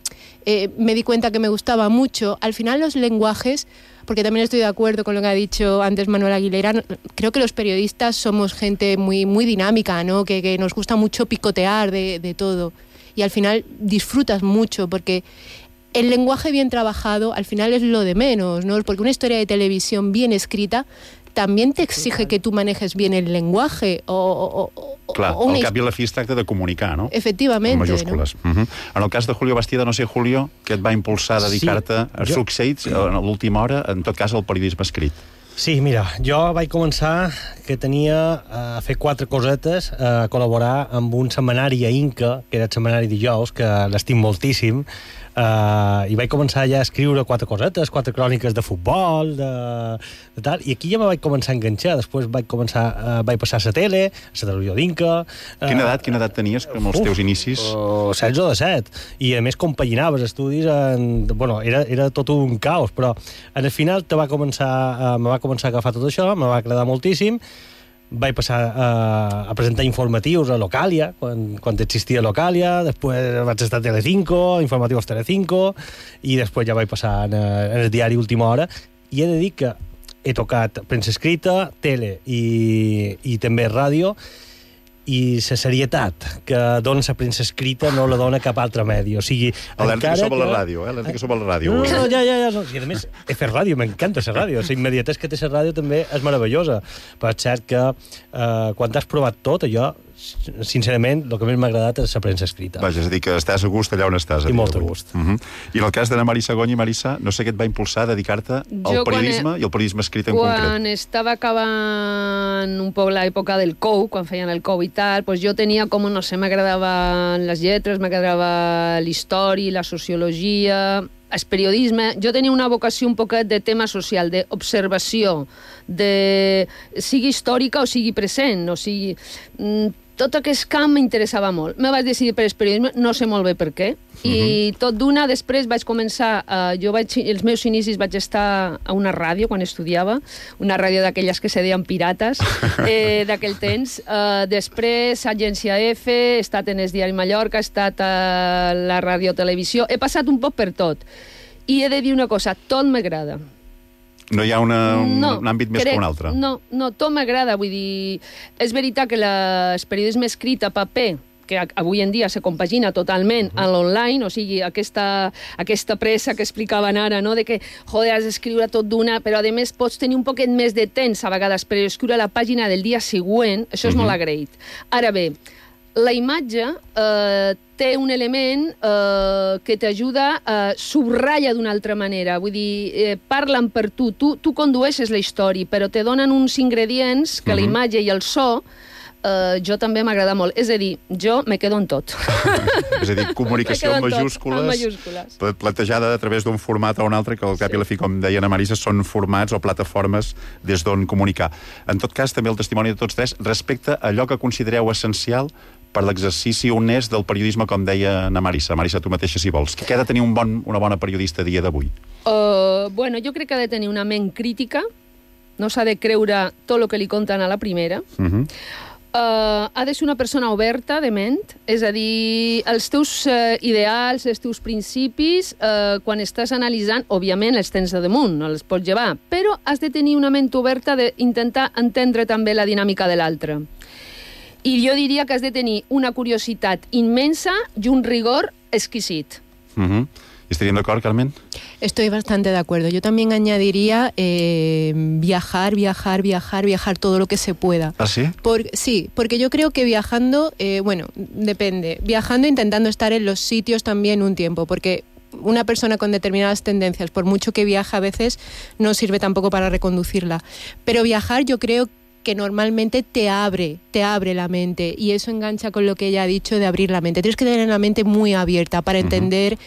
me di cuenta que me gustaba mucho. Al final los lenguajes, porque también estoy de acuerdo con lo que ha dicho antes Manuel Aguilera, creo que los periodistas somos gente muy, muy dinámica, ¿no? Que nos gusta mucho picotear de todo. Y al final disfrutas mucho porque el lenguaje bien trabajado al final es lo de menos, ¿no? Porque una historia de televisión bien escrita también te exige que tú manejes bien el lenguaje Clar, al cap i a la fi es tracta de comunicar, no? Efectivament. En majúscules. No? En el cas de Julio Bastida, no sé, Julio, què et va impulsar a dedicar-te a succeïts a l'última hora, en tot cas, al periodisme escrit? Sí, mira, jo vaig començar que tenia a fer 4 cosetes, a col·laborar amb un setmanari a Inca, que era el setmanari dijous, que l'estim moltíssim, i vaig començar ja a escriure 4 cosetes, 4 cròniques de futbol, de tal, i aquí ja me vaig començar a enganxar. Després vaig passar a la tele, a la televisió d'Inca. Quina edat tenies, com els teus inicis? 16 o 17. I a més compaginaves estudis, bueno, era tot un caos, però al final me va començar a agafar tot això, me va agradar moltíssim. Vaig passar a presentar informatius a Localia, quan existia Localia, després vaig estar a Telecinco, informatius Telecinco, i després ja vaig passar en el diari Última Hora, i he de dir que he tocat premsa escrita, tele i també ràdio, i la serietat que dona la premsa escrita no la dona cap altre medi. O sigui, alerta que som a la ràdio, alerta que som a la ràdio. No, ja. I a més, he fet ràdio, m'encanta la ràdio. La immediatesa que té la ràdio també és meravellosa. Però és cert que quan has provat tot, allò, sincerament, el que més m'ha agradat és la premsa escrita. Vaja, és a dir, que estàs a gust allà on estàs. I molt a gust. I en el cas d'Anna Marisa Goñi, Marisa, no sé què et va impulsar a dedicar-te al periodisme i al periodisme escrit en concret. Quan estava acabant un poc l'època del COU, quan feien el COU i tal, pues jo tenia com, no sé, m'agradaven les lletres, m'agradava l'història, la sociologia, el periodisme. Jo tenia una vocació un poquet de tema social, d'observació, sigui històrica o sigui present, o sigui... Tot aquest camp m'interessava molt. Me vaig decidir per el periodisme, no sé molt bé per què, i tot d'una, després vaig començar, els meus inicis vaig estar a una ràdio quan estudiava, una ràdio d'aquelles que se deien pirates, d'aquell temps. Després, Agència F, he estat en el Diari Mallorca, he estat a la ràdio-televisió, he passat un poc per tot. I he de dir una cosa, tot m'agrada. No hi ha un àmbit més que un altre? No, tot m'agrada, vull dir... És veritat que el periodisme escrit a paper, que avui en dia se compagina totalment a l'online, o sigui, aquesta pressa que explicaven ara, no?, de que, joder, has d'escriure tot d'una, però a més pots tenir un poquet més de temps a vegades per escriure la pàgina del dia següent, això és molt agraït. Ara bé, la imatge té un element que t'ajuda a subratlla d'una altra manera. Vull dir, parlen per tu. Tu condueixes la història, però te donen uns ingredients que la imatge i el so jo també m'agrada molt. És a dir, jo me quedo en tot. És a dir, comunicació en majúscules, plantejada a través d'un format o un altre, que al cap i a la fi, com deia Anna Marisa, són formats o plataformes des d'on comunicar. En tot cas, també el testimoni de tots tres respecte a allò que considereu essencial per l'exercici honest del periodisme, com deia na Marissa. Marissa, tu mateixa, si vols. Què ha de tenir una bona periodista a dia d'avui? Bueno, jo crec que ha de tenir una ment crítica, no s'ha de creure tot el que li conten a la primera. Ha de ser una persona oberta de ment, és a dir, els teus ideals, els teus principis, quan estàs analitzant, òbviament els tens de damunt, no els pots llevar, però has de tenir una ment oberta d'intentar entendre també la dinàmica de l'altre. I jo diria que has de tenir una curiositat immensa i un rigor exquisit. ¿Estarían de acuerdo, Carmen? Estoy bastante de acuerdo. Yo también añadiría viajar todo lo que se pueda. ¿Ah, sí? Sí, porque yo creo que viajando, bueno, depende. Viajando, intentando estar en los sitios también un tiempo, porque una persona con determinadas tendencias, por mucho que viaja a veces, no sirve tampoco para reconducirla. Pero viajar yo creo que normalmente te abre la mente, y eso engancha con lo que ella ha dicho de abrir la mente. Tienes que tener la mente muy abierta para entender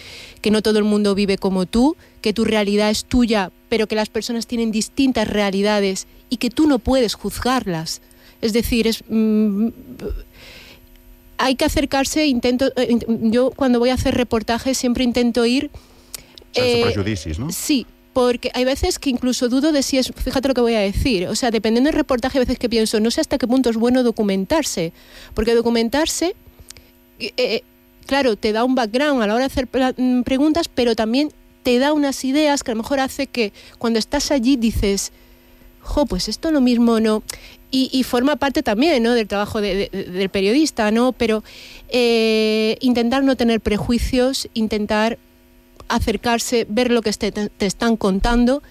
que no todo el mundo vive como tú, que tu realidad es tuya, pero que las personas tienen distintas realidades y que tú no puedes juzgarlas. Es decir, hay que acercarse, yo cuando voy a hacer reportajes siempre intento ir... Sense prejudicis, ¿no? Sí, porque hay veces que incluso dudo de si es, fíjate lo que voy a decir, o sea, dependiendo del reportaje, hay veces que pienso, no sé hasta qué punto es bueno documentarse, porque documentarse, claro, te da un background a la hora de hacer preguntas, pero también te da unas ideas que a lo mejor hace que cuando estás allí dices, pues esto lo mismo no, y forma parte también, ¿no?, del trabajo del periodista, ¿no?, pero intentar no tener prejuicios, intentar acercarse, ver lo que te están contando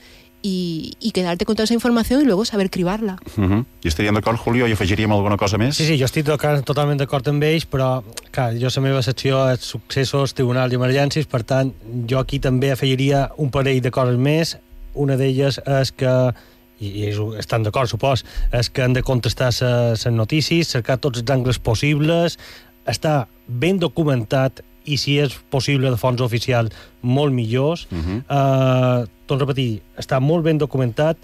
i quedar-te con tota aquesta informació i luego saber cribar-la. I estaríem d'acord, Julio? I afegiríem alguna cosa més? Sí, jo estic totalment d'acord amb ells, però clar, jo la meva secció és successos, tribunals i emergències, per tant, jo aquí també afegiria un parell de coses més. Una d'elles és que, i estan d'acord, supos, és que han de contestar les notícies, cercar tots els angles possibles, estar ben documentat, i si és possible de fonts oficials, molt millors. Torno a repetir, està molt ben documentat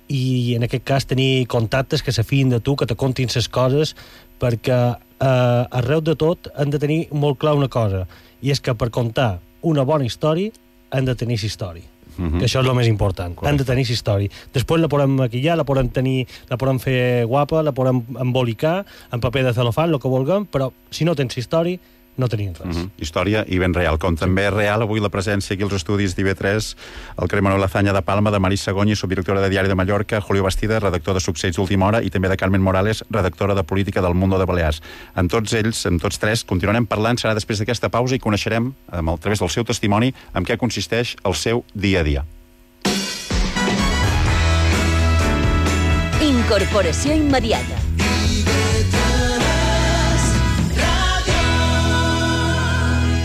i en aquest cas tenir contactes que se fien de tu, que te contin les coses, perquè arreu de tot han de tenir molt clar una cosa, i és que per contar una bona història han de tenir història. Que això és el més important. Han de tenir història. Després la podem maquillar, la podem fer guapa, la podem embolicar en paper de celofan, el que vulguem, però si no tens història, no tenim res. Història i ben real. Com també és real avui la presència aquí als estudis d'IV3 al carrer Manuel Azaña de Palma de Marissa Goñi, subdirectora de Diari de Mallorca, Julio Bastida, redactor de Successos d'Última Hora, i també de Carmen Morales, redactora de Política del Mundo de Balears. Amb tots ells, amb tots tres, continuarem parlant, serà després d'aquesta pausa, i coneixerem, a través del seu testimoni, en què consisteix el seu dia a dia. Incorporació immediata.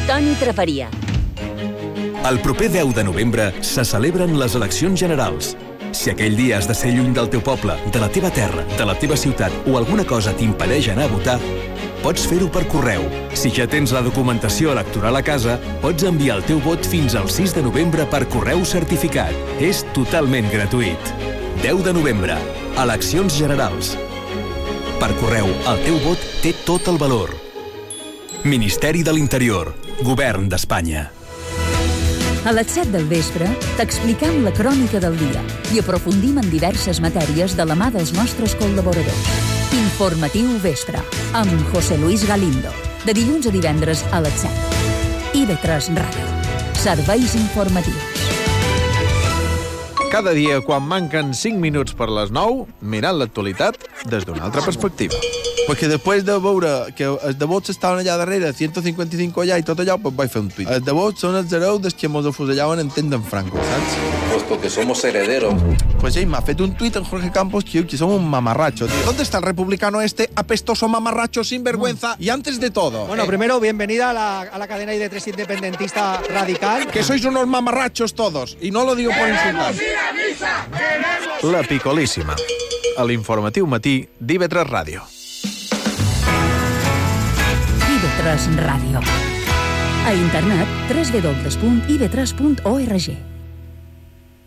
Toni Traperia. El proper 10 de novembre se celebren les eleccions generals. Si aquell dia has de ser lluny del teu poble, de la teva terra, de la teva ciutat o alguna cosa t'impedeix anar a votar, pots fer-ho per correu. Si ja tens la documentació electoral a casa, pots enviar el teu vot fins al 6 de novembre per correu certificat. És totalment gratuït. 10 de novembre, eleccions generals. Per correu, el teu vot té tot el valor. Ministeri de l'Interior, Govern d'Espanya. A les 7 del vespre t'expliquem la crònica del dia i aprofundim en diverses matèries de la mà dels nostres col·laboradors. Informatiu Vespre, amb José Luis Galindo, de dilluns a divendres a les 7. IB3 Ràdio. Serveis informatius. Cada dia, quan manquen 5 minuts per les 9, mirant l'actualitat des d'una altra perspectiva. Perquè després de veure que els devots estaven allà darrere, 155 allà i tot allò, pues vaig fer un tuit. Els devots són els hereus dels que mos afusellaven en temps d'en Franco, saps? Pues porque somos herederos. Pues ell m'ha fet un tuit en Jorge Campos que som un mamarracho, tío. ¿Dónde está el republicano este apestoso mamarracho sinvergüenza? Y antes de todo... Bueno, primero, bienvenida a la cadena ID3 independentista radical. Que sois unos mamarrachos todos, y no lo digo por insultar. La Picolíssima, a l'informatiu matí d'IV3 Ràdio. IB3 Ràdio. A internet, www.ib3.org.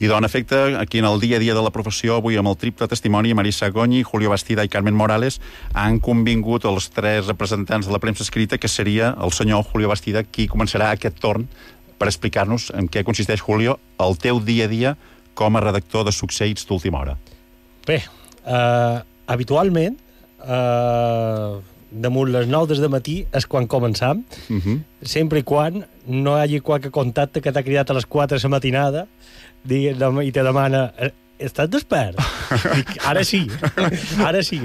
I en efecte, aquí en el dia a dia de la professió, avui amb el triple testimoni, Marisa Goñi, Julio Bastida i Carmen Morales, han convingut els 3 representants de la premsa escrita, que seria el senyor Julio Bastida qui començarà aquest torn per explicar-nos en què consisteix, Julio, el teu dia a dia com a redactor de succeïts d'última hora. Bé, habitualment, damunt les 9 del matí és quan començam, sempre i quan no hi hagi qualque contacte que t'ha cridat a les 4 de la matinada i te demana: estàs despert? Dic, ara sí.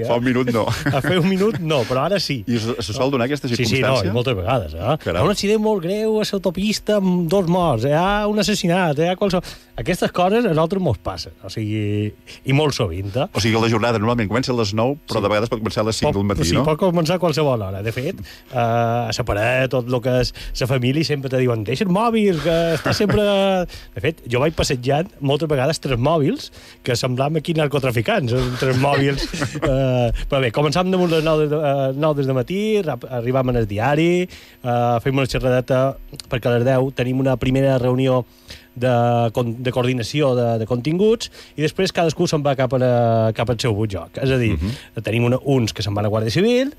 Fa un minut no. A fer un minut no, però ara sí. I se sol donar aquesta circumstància? Sí, no, i moltes vegades. Hi ha un accident molt greu a l'autopista amb 2 morts, hi ha un assassinat, hi ha qualsevol... Aquestes coses a nosaltres mos passen, o sigui, i molt sovint. O sigui, la jornada normalment comença a les 9, però de vegades pot començar a les 5 del matí, no? Sí, pot començar a qualsevol hora. De fet, a la paret, tot el que és la família, sempre te diuen: deixa el mòbil, que està sempre... De fet, jo vaig passejant moltes vegades 3 mòbils que semblaven aquí narcotraficants, 3 mòbils. Però bé, començàvem damunt les 9 des de matí, arribàvem al diari, fem una xerradeta, perquè a les 10 tenim una primera reunió de coordinació de continguts, i després cadascú se'n va cap al seu lloc. És a dir, tenim uns que se'n van a Guàrdia Civil,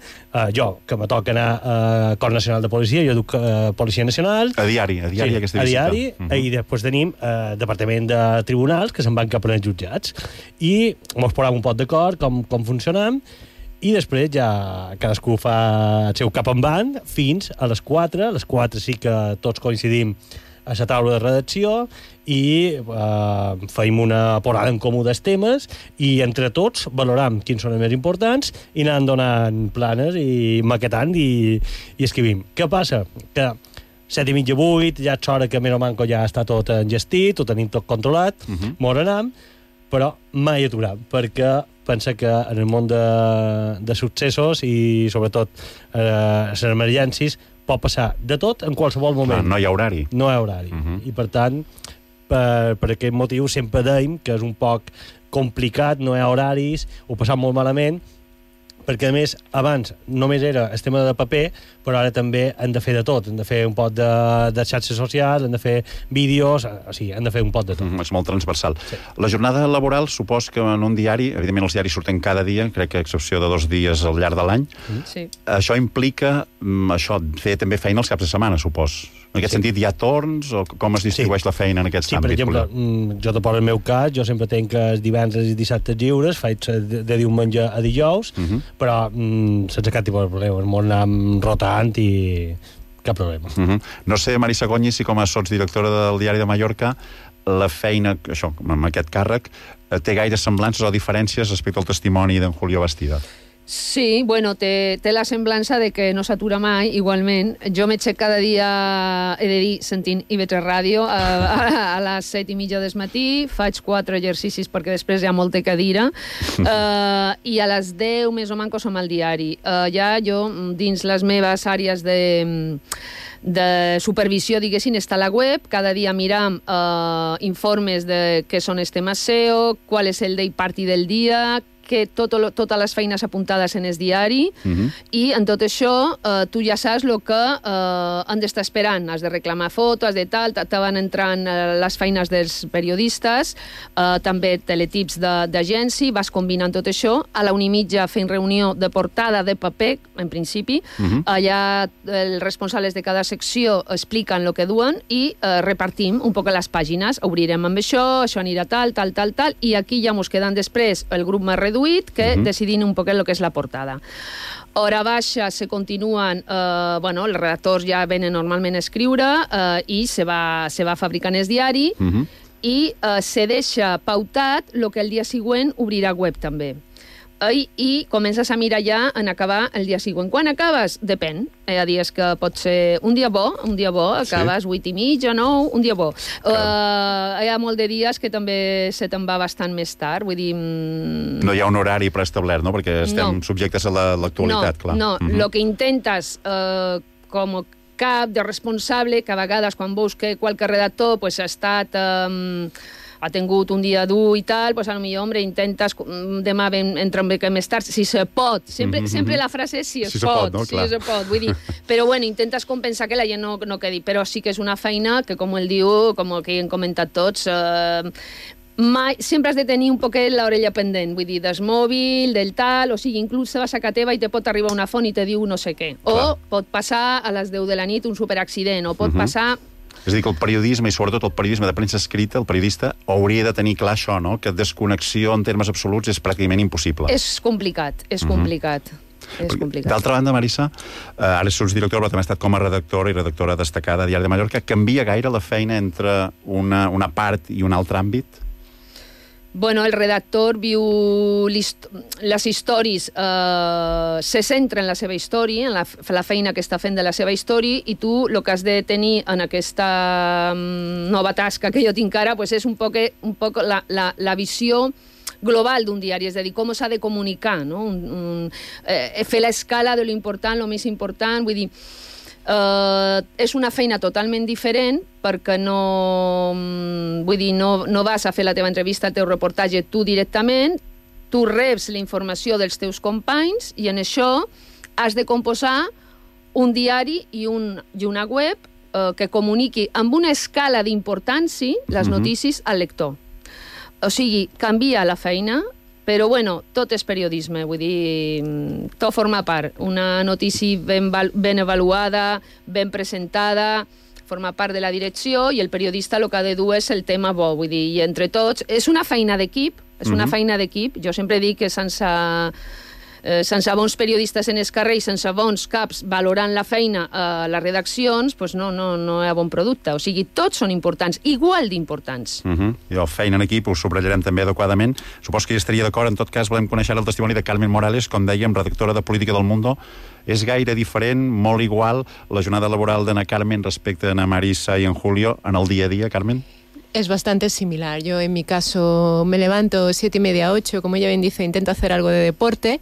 jo, que me toca anar a Cos Nacional de Policia, jo duc Policia Nacional. A diari aquesta visita. A diari, i després tenim Departament de Tribunals, que se'n van cap als jutjats. I mos posem un pot d'acord com funcionem, i després ja cadascú fa el seu cap en van fins a les 4. A les 4 sí que tots coincidim a la taula de redacció i feim una porada en comú dels temes i entre tots valoram quins són els més importants i anant donant planes i maquetant i escrivim. Què passa? Que 7:30, 8, ja és hora que més o manco ja està tot engestit, ho tenim tot controlat, mos anam, però mai aturam, perquè pensa que en el món de successos i sobretot les emergències pot passar de tot en qualsevol moment. No hi ha horari. No hi ha horari. I per tant, per aquest motiu sempre deim que és un poc complicat, no hi ha horaris, ho passam molt malament, perquè a més abans només era el tema de paper, però ara també hem de fer de tot, hem de fer un pot de xarxes socials, hem de fer vídeos, o sigui, hem de fer un pot de tot. És molt transversal. Sí. La jornada laboral supos que en un diari, evidentment els diaris surten cada dia, crec que a excepció de 2 dies al llarg de l'any, això implica fer també feina els caps de setmana, supos. En aquest sentit, hi ha torns o com es distribueix la feina en aquest àmbit? Sí, per exemple, jo te poso el meu cas, jo sempre tenc els divendres i dissabtes lliures, faig de diumenge a dijous, però sense cap tipus de problema, el món anem rotant i cap problema. No sé, Marisa Goñi, si com a sotsdirectora del Diari de Mallorca la feina, això, amb aquest càrrec, té gaire semblances o diferències respecte al testimoni d'en Julio Bastida? Sí, bueno, té la semblança de que no s'atura mai, igualment. Jo m'aixec cada dia, he de dir, sentint IB3 Ràdio a les 7:30 del matí, faig 4 exercicis perquè després hi ha molta cadira, i a les 10 més o manco som al diari. Ja jo, dins les meves àrees de supervisió, diguéssim, està a la web, cada dia miram informes de què són els temes SEO, qual és el day party del dia, que totes les feines apuntades en el diari, i en tot això tu ja saps el que han d'estar esperant. Has de reclamar fotos, has de tal, te van entrant les feines dels periodistes, també teletips d'agència, vas combinant tot això. A la 1:30 fent reunió de portada de paper, en principi. Allà els responsables de cada secció expliquen el que duen i repartim un poc les pàgines. Obrirem amb això anirà tal, i aquí ja mos queden després el grup més reduït, que decidint un poquet el que és la portada. Hora baixa se continuen, els redactors ja venen normalment a escriure i se va fabricant el diari i se deixa pautat el que el dia següent obrirà web també. I comences a mirar ja en acabar el dia següent. Quan acabes? Depèn. Hi ha dies que pot ser un dia bo, acabes 8:30, 9, un dia bo. Hi ha molt de dies que també se te'n va bastant més tard, vull dir... No hi ha un horari preestablert, no? Perquè estem subjectes a l'actualitat, clar. No, el que intentes com cap de responsable, que a vegades quan veus que qualque redactor ha estat ha tingut un dia dur i tal, doncs potser, hombre, intentes demà entrar un mica més tard, si se pot. Sempre la frase és si es pot, no? Si se pot. Vull dir, però bueno, intentes compensar que la gent no quedi. Però sí que és una feina que, com el diu, com el que hem comentat tots, sempre has de tenir un poquet l'orella pendent, vull dir, del mòbil, del tal, o sigui, inclús vas a casa teva i te pot arribar una font i te diu no sé què. O pot passar a les 10 de la nit un superaccident, o pot passar... És a dir, que el periodisme, i sobretot el periodisme de premsa escrita, el periodista hauria de tenir clar això, no? Que desconnexió en termes absoluts és pràcticament impossible. És complicat, és complicat. D'altra banda, Marissa, ara sots directora, però també ha estat com a redactora i redactora destacada a Diari de Mallorca. Canvia gaire la feina entre una part i un altre àmbit? Bueno, el redactor viu les històries, se centra en la seva història, en la feina que està fent de la seva història, i tu el que has de tenir en aquesta nova tasca que jo tinc ara és un poc la visió global d'un diari, és a dir, com s'ha de comunicar, no? Fer l'escala de lo important, lo més important, vull dir, és una feina totalment diferent perquè no vas a fer la teva entrevista, el teu reportatge tu directament, tu reps la informació dels teus companys i en això has de composar un diari i una web que comuniqui amb una escala d'importància les notícies al lector. O sigui, canvia la feina, però, bueno, tot és periodisme, vull dir, tot forma part. Una notícia ben avaluada, ben presentada, forma part de la direcció, i el periodista el que ha de dur és el tema bo, vull dir, i entre tots... És una feina d'equip, Jo sempre dic que sense bons periodistes en el carrer i sense bons caps valorant la feina a les redaccions, doncs no hi ha bon producte. O sigui, tots són importants, igual d'importants. I la feina en equip ho subratllarem també adequadament. Suposo que hi estaria d'acord. En tot cas, volem conèixer el testimoni de Carmen Morales, com dèiem, redactora de Política del Mundo. És gaire diferent, molt igual, la jornada laboral d'Ana Carmen respecte a Ana Marisa y en Julio en el día a día, Carmen? Es bastante similar. Yo en mi caso me levanto 7:30, 8, como ella bien dice, intento hacer algo de deporte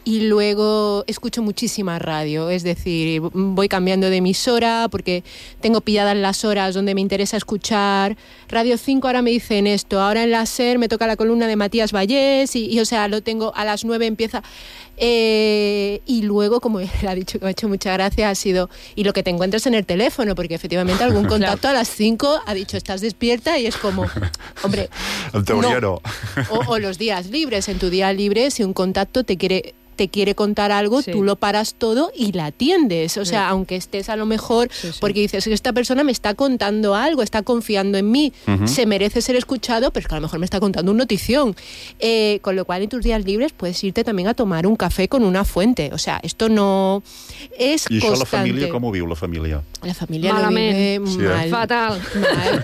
y luego escucho muchísima radio, es decir, voy cambiando de emisora porque tengo pilladas las horas donde me interesa escuchar. Radio 5 ahora me dicen esto, ahora en la SER me toca la columna de Matías Vallés y o sea, lo tengo a las 9 empieza... y luego, como él ha dicho, que me ha hecho mucha gracia, ha sido y lo que te encuentras en el teléfono, porque efectivamente algún contacto a las 5 ha dicho estás despierta y es como, hombre, no. O los días libres, en tu día libre, si un contacto te quiere contar algo, tú lo paras todo y la atiendes. O sea, aunque estés a lo mejor, porque dices que esta persona me está contando algo, está confiando en mí, se merece ser escuchado, pero es que a lo mejor me está contando una notición. Con lo cual, en tus días libres puedes irte también a tomar un café con una fuente. O sea, esto no es constante. I això la família, com ho viu la família? La familia lo vive mal. Fatal. Mal.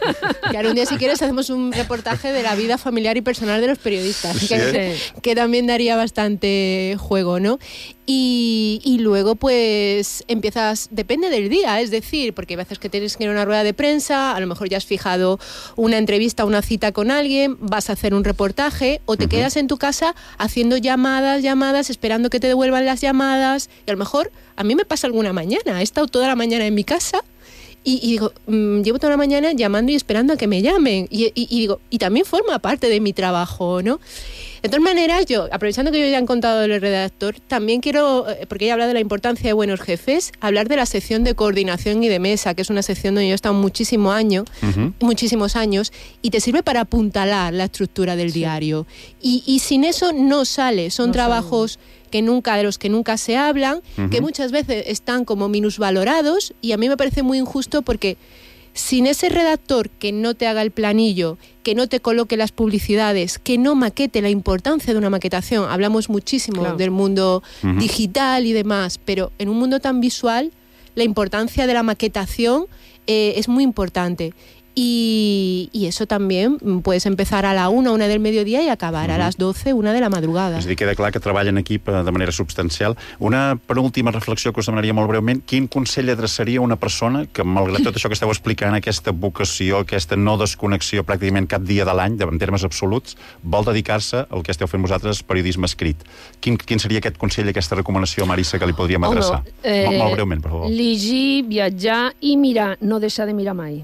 Y ahora un día, si quieres, hacemos un reportaje de la vida familiar y personal de los periodistas, que también daría bastante juego, ¿no? Y luego pues empiezas, depende del día, es decir, porque hay veces que tienes que ir a una rueda de prensa, a lo mejor ya has fijado una entrevista, una cita con alguien, vas a hacer un reportaje o te quedas en tu casa haciendo llamadas, esperando que te devuelvan las llamadas, y a lo mejor a mí me pasa alguna mañana, he estado toda la mañana en mi casa y digo, llevo toda la mañana llamando y esperando a que me llamen y digo, y también forma parte de mi trabajo, ¿no? De todas maneras, yo, aprovechando que yo ya han contado del redactor, también quiero, porque he hablado de la importancia de buenos jefes, hablar de la sección de coordinación y de mesa, que es una sección donde yo he estado muchísimos años, y te sirve para apuntalar la estructura del diario. Y sin eso no sale, son trabajos de los que nunca se hablan, que muchas veces están como minusvalorados, y a mí me parece muy injusto porque sin ese redactor que no te haga el planillo, que no te coloque las publicidades, que no maquete, la importancia de una maquetación, hablamos muchísimo del mundo digital y demás, pero en un mundo tan visual, la importancia de la maquetación es muy importante. Y eso también puedes empezar a la 1 del mediodía y acabar a las 12, 1 de la madrugada. És a dir, queda clar que treballa en equip de manera substancial. Una penúltima reflexió que us demanaria molt breument. Quin consell adreçaria a una persona que, malgrat tot això que esteu explicant, aquesta vocació, aquesta no desconnexió pràcticament cap dia de l'any, en termes absoluts, vol dedicar-se al que esteu fent vosaltres, periodisme escrit? Quin seria aquest consell, aquesta recomanació, Marissa, que li podríem adreçar? Molt breument, per favor. Llegir, viatjar i mirar, no deixar de mirar mai.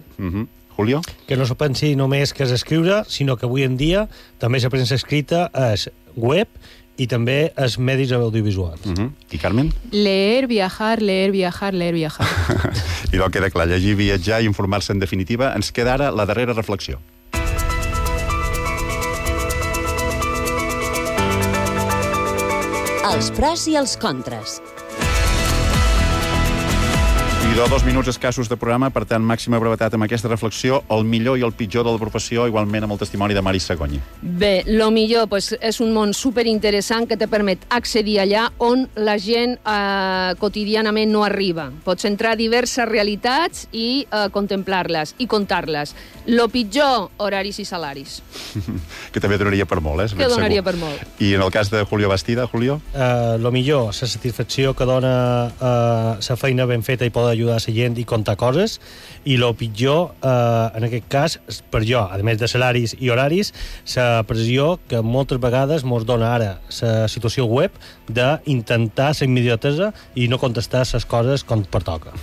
Julio? Que no se pensi només que és escriure, sinó que avui en dia també la premsa escrita és web i també els medis audiovisuals. I Carmen? Leer, viajar, leer, viajar, leer, viajar. I no queda clar, llegir, viatjar i informar-se en definitiva. Ens queda ara la darrera reflexió. Els pros i els contres. I 2 minuts escassos de programa, per tant, màxima brevetat amb aquesta reflexió, el millor i el pitjor de la professió, igualment amb el testimoni de Mari Segoni. Bé, el millor és un món superinteressant que te permet accedir allà on la gent quotidianament no arriba. Pots entrar a diverses realitats i contemplar-les i contar-les. Lo pitjor, horaris i salaris. Que també donaria per molt, Que donaria per molt. I en el cas de Julio Bastida, Julio? Lo millor, la satisfacció que dona la feina ben feta i poder ajudar a la gent i contar coses, i lo pitjor, en aquest cas, per jo, a més de salaris i horaris, la pressió que moltes vegades mos dona ara la situació web d'intentar la immediatesa i no contestar les coses com pertoca.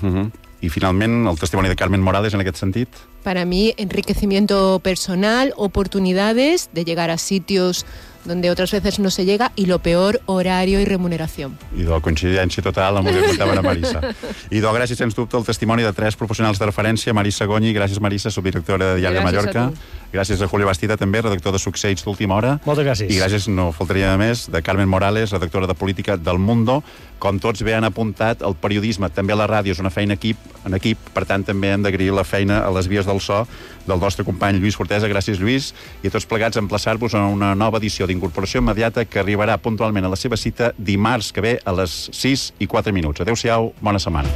I finalment, el testimoni de Carmen Morales en aquest sentit? Para mí, enriquecimiento personal, oportunidades de llegar a sitios donde otras veces no se llega, y lo peor, horario y remuneración. I de coincidència total amb el que contava la Marissa. I gràcies, sens dubte, al testimoni de 3 professionals de referència, Marissa Gonyi, gràcies Marissa, subdirectora de Diari de Mallorca, gràcies a Julio Bastida també, redactor de Succeids d'Última Hora. Moltes gràcies. I gràcies, no faltaria més, de Carmen Morales, redactora de Política del Mundo. Com tots bé han apuntat, el periodisme, també la ràdio, és una feina en equip, per tant també hem d'agrair la feina a les vies del so del nostre company Lluís Fortesa. Gràcies, Lluís, i a tots plegats emplaçar-vos a una nova edició d'Incorporació Immediata que arribarà puntualment a la seva cita dimarts que ve a les 6:04. Adéu-siau, bona setmana.